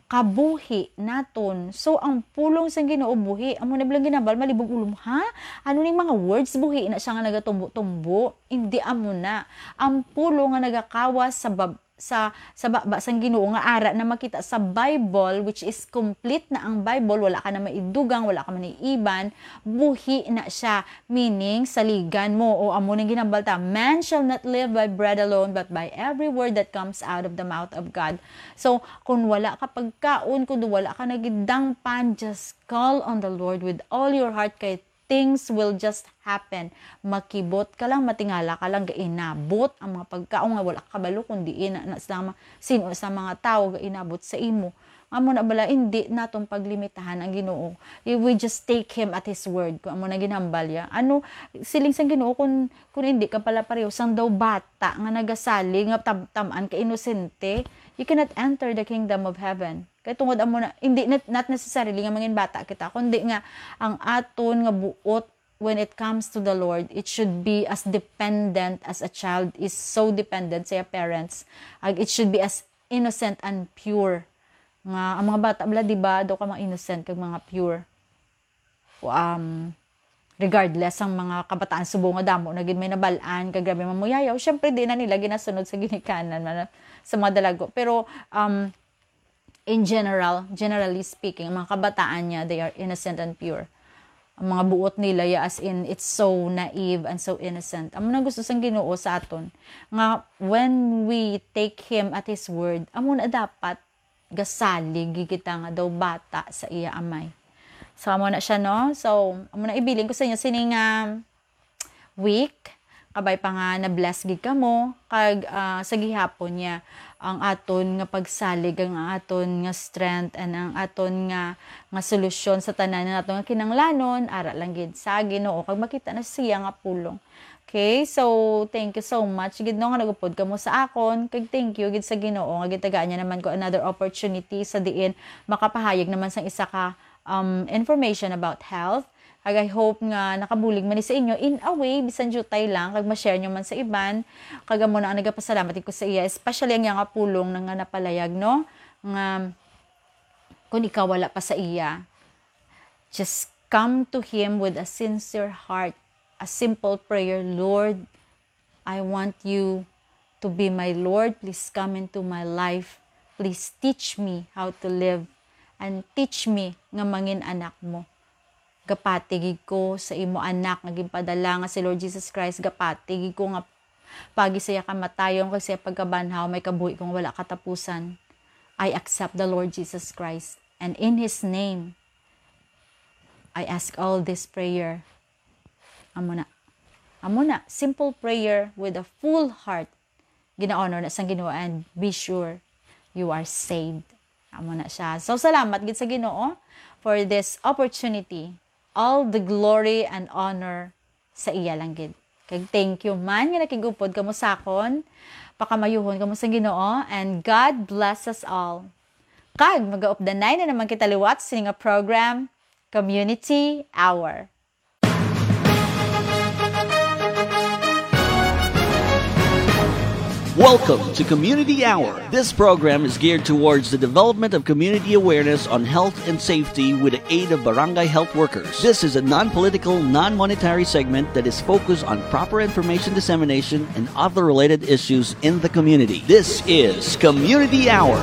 Kabuhi naton. So, ang pulong sang Ginoo buhi. Amo na bilang ginambal, malibog ulo mo, ha? Ano ning mga words buhi na siya nga nagatumbo-tumbo? Hindi amo na. Ang pulong nga nagakawas sa bab-, sa, sa baba sang Ginoo nga ara na makita sa Bible, which is complete na ang Bible, wala ka na maidugang, wala ka man iiban, buhi na siya, meaning saligan mo. O amo ning ginambal ta, "Man shall not live by bread alone, but by every word that comes out of the mouth of God." So, kung wala ka pagkaon, kung wala ka nagidangpan, just call on the Lord with all your heart, kay things will just happen. Makibot ka lang, matingala ka lang, gainabot ang mga pagkaon nga wala ka kabalo kung diin na, na sa mga, sino sa mga tao gainabot sa imo. Amo na bala, hindi naton paglimitahan ang Ginoo. We just take Him at His word. Kung amo na ginambal ya. Ano, siling sang Ginoo, kung, kung hindi ka pala pareho sang daw bata nga nagasalig, nga tam-, tam-an ka inosente, you cannot enter the kingdom of heaven. Kay tungod amo na, hindi, not, not necessarily nga mangin bata kita, kundi nga ang aton nga buot when it comes to the Lord, it should be as dependent as a child is so dependent sa iya parents. Ag, it should be as innocent and pure. Nga, ang mga bata bala, di ba, daw ka mga innocent kag mga pure. Um, regardless, ang mga kabataan subong nga damo na gid may nabal-an, kag grabe mamuyayaw, syempre, di na nila ginasunod sa ginikanan, man, sa mga dalago. Pero, um, in general, generally speaking, ang mga kabataan niya, they are innocent and pure. Ang mga buot nila, ya, as in, it's so naive and so innocent. Amo na gusto sang Ginoo sa aton, nga when we take Him at His word, amo na dapat gasalig kita nga daw bata sa iya Amay. So, amo na siya, no? So, amo na, ibilin ko sa inyo sining, ah, week. Kabay pa nga na-bless gid kamo, kag, ah, sa gihapon niya, ang aton nga pagsalig, ang aton nga strength, and ang aton nga, nga solusyon sa tanan nga aton nga kinahanglanon, ara lang gid sa Ginoo, kag makita na siya nga pulong. Okay, so thank you so much gid, no, nga nag-upod kamo sa akon, kag thank you gid sa Ginoo nga gitagaan niya naman ko another opportunity sa diin makapahayag naman sang isa ka, um, information about health. Kag I hope nga nakabulig man ni sa inyo in a way, bisan diutay lang, kag ma-share nyo man sa iban. Kag amo na ang nagapasalamat ko sa iya, especially ang iya nga pulong na nga napalayag, no, nga kung ikaw wala pa sa iya, just come to Him with a sincere heart, a simple prayer: "Lord, I want you to be my Lord. Please come into my life. Please teach me how to live and teach me nga mangin anak mo." Gapati gid ko sa imo anak nga ginpadala nga si Lord Jesus Christ. Gapati gid ko nga pagi sa iya kamatayon kag sa iya pagkabanhaw, may kabuhi ko nga wala katapusan. I accept the Lord Jesus Christ, and in His name, I ask all this prayer. Amo na. Amo na. Simple prayer with a full heart. Gina-honor na sang Ginoo, and be sure you are saved. Amo na siya. So, salamat gid sa Ginoo for this opportunity. All the glory and honor sa iya lang gid. Kag thank you man nga nakig-upod kamo sa akon. Pakamayuhon kamo sa Ginoo, and God bless us all. Kag magaupdanay na naman kita liwat sa nga program, Community Hour. Welcome to Community Hour. This program is geared towards the development of community awareness on health and safety with the aid of barangay health workers. This is a non-political, non-monetary segment that is focused on proper information dissemination and other related issues in the community. This is Community Hour.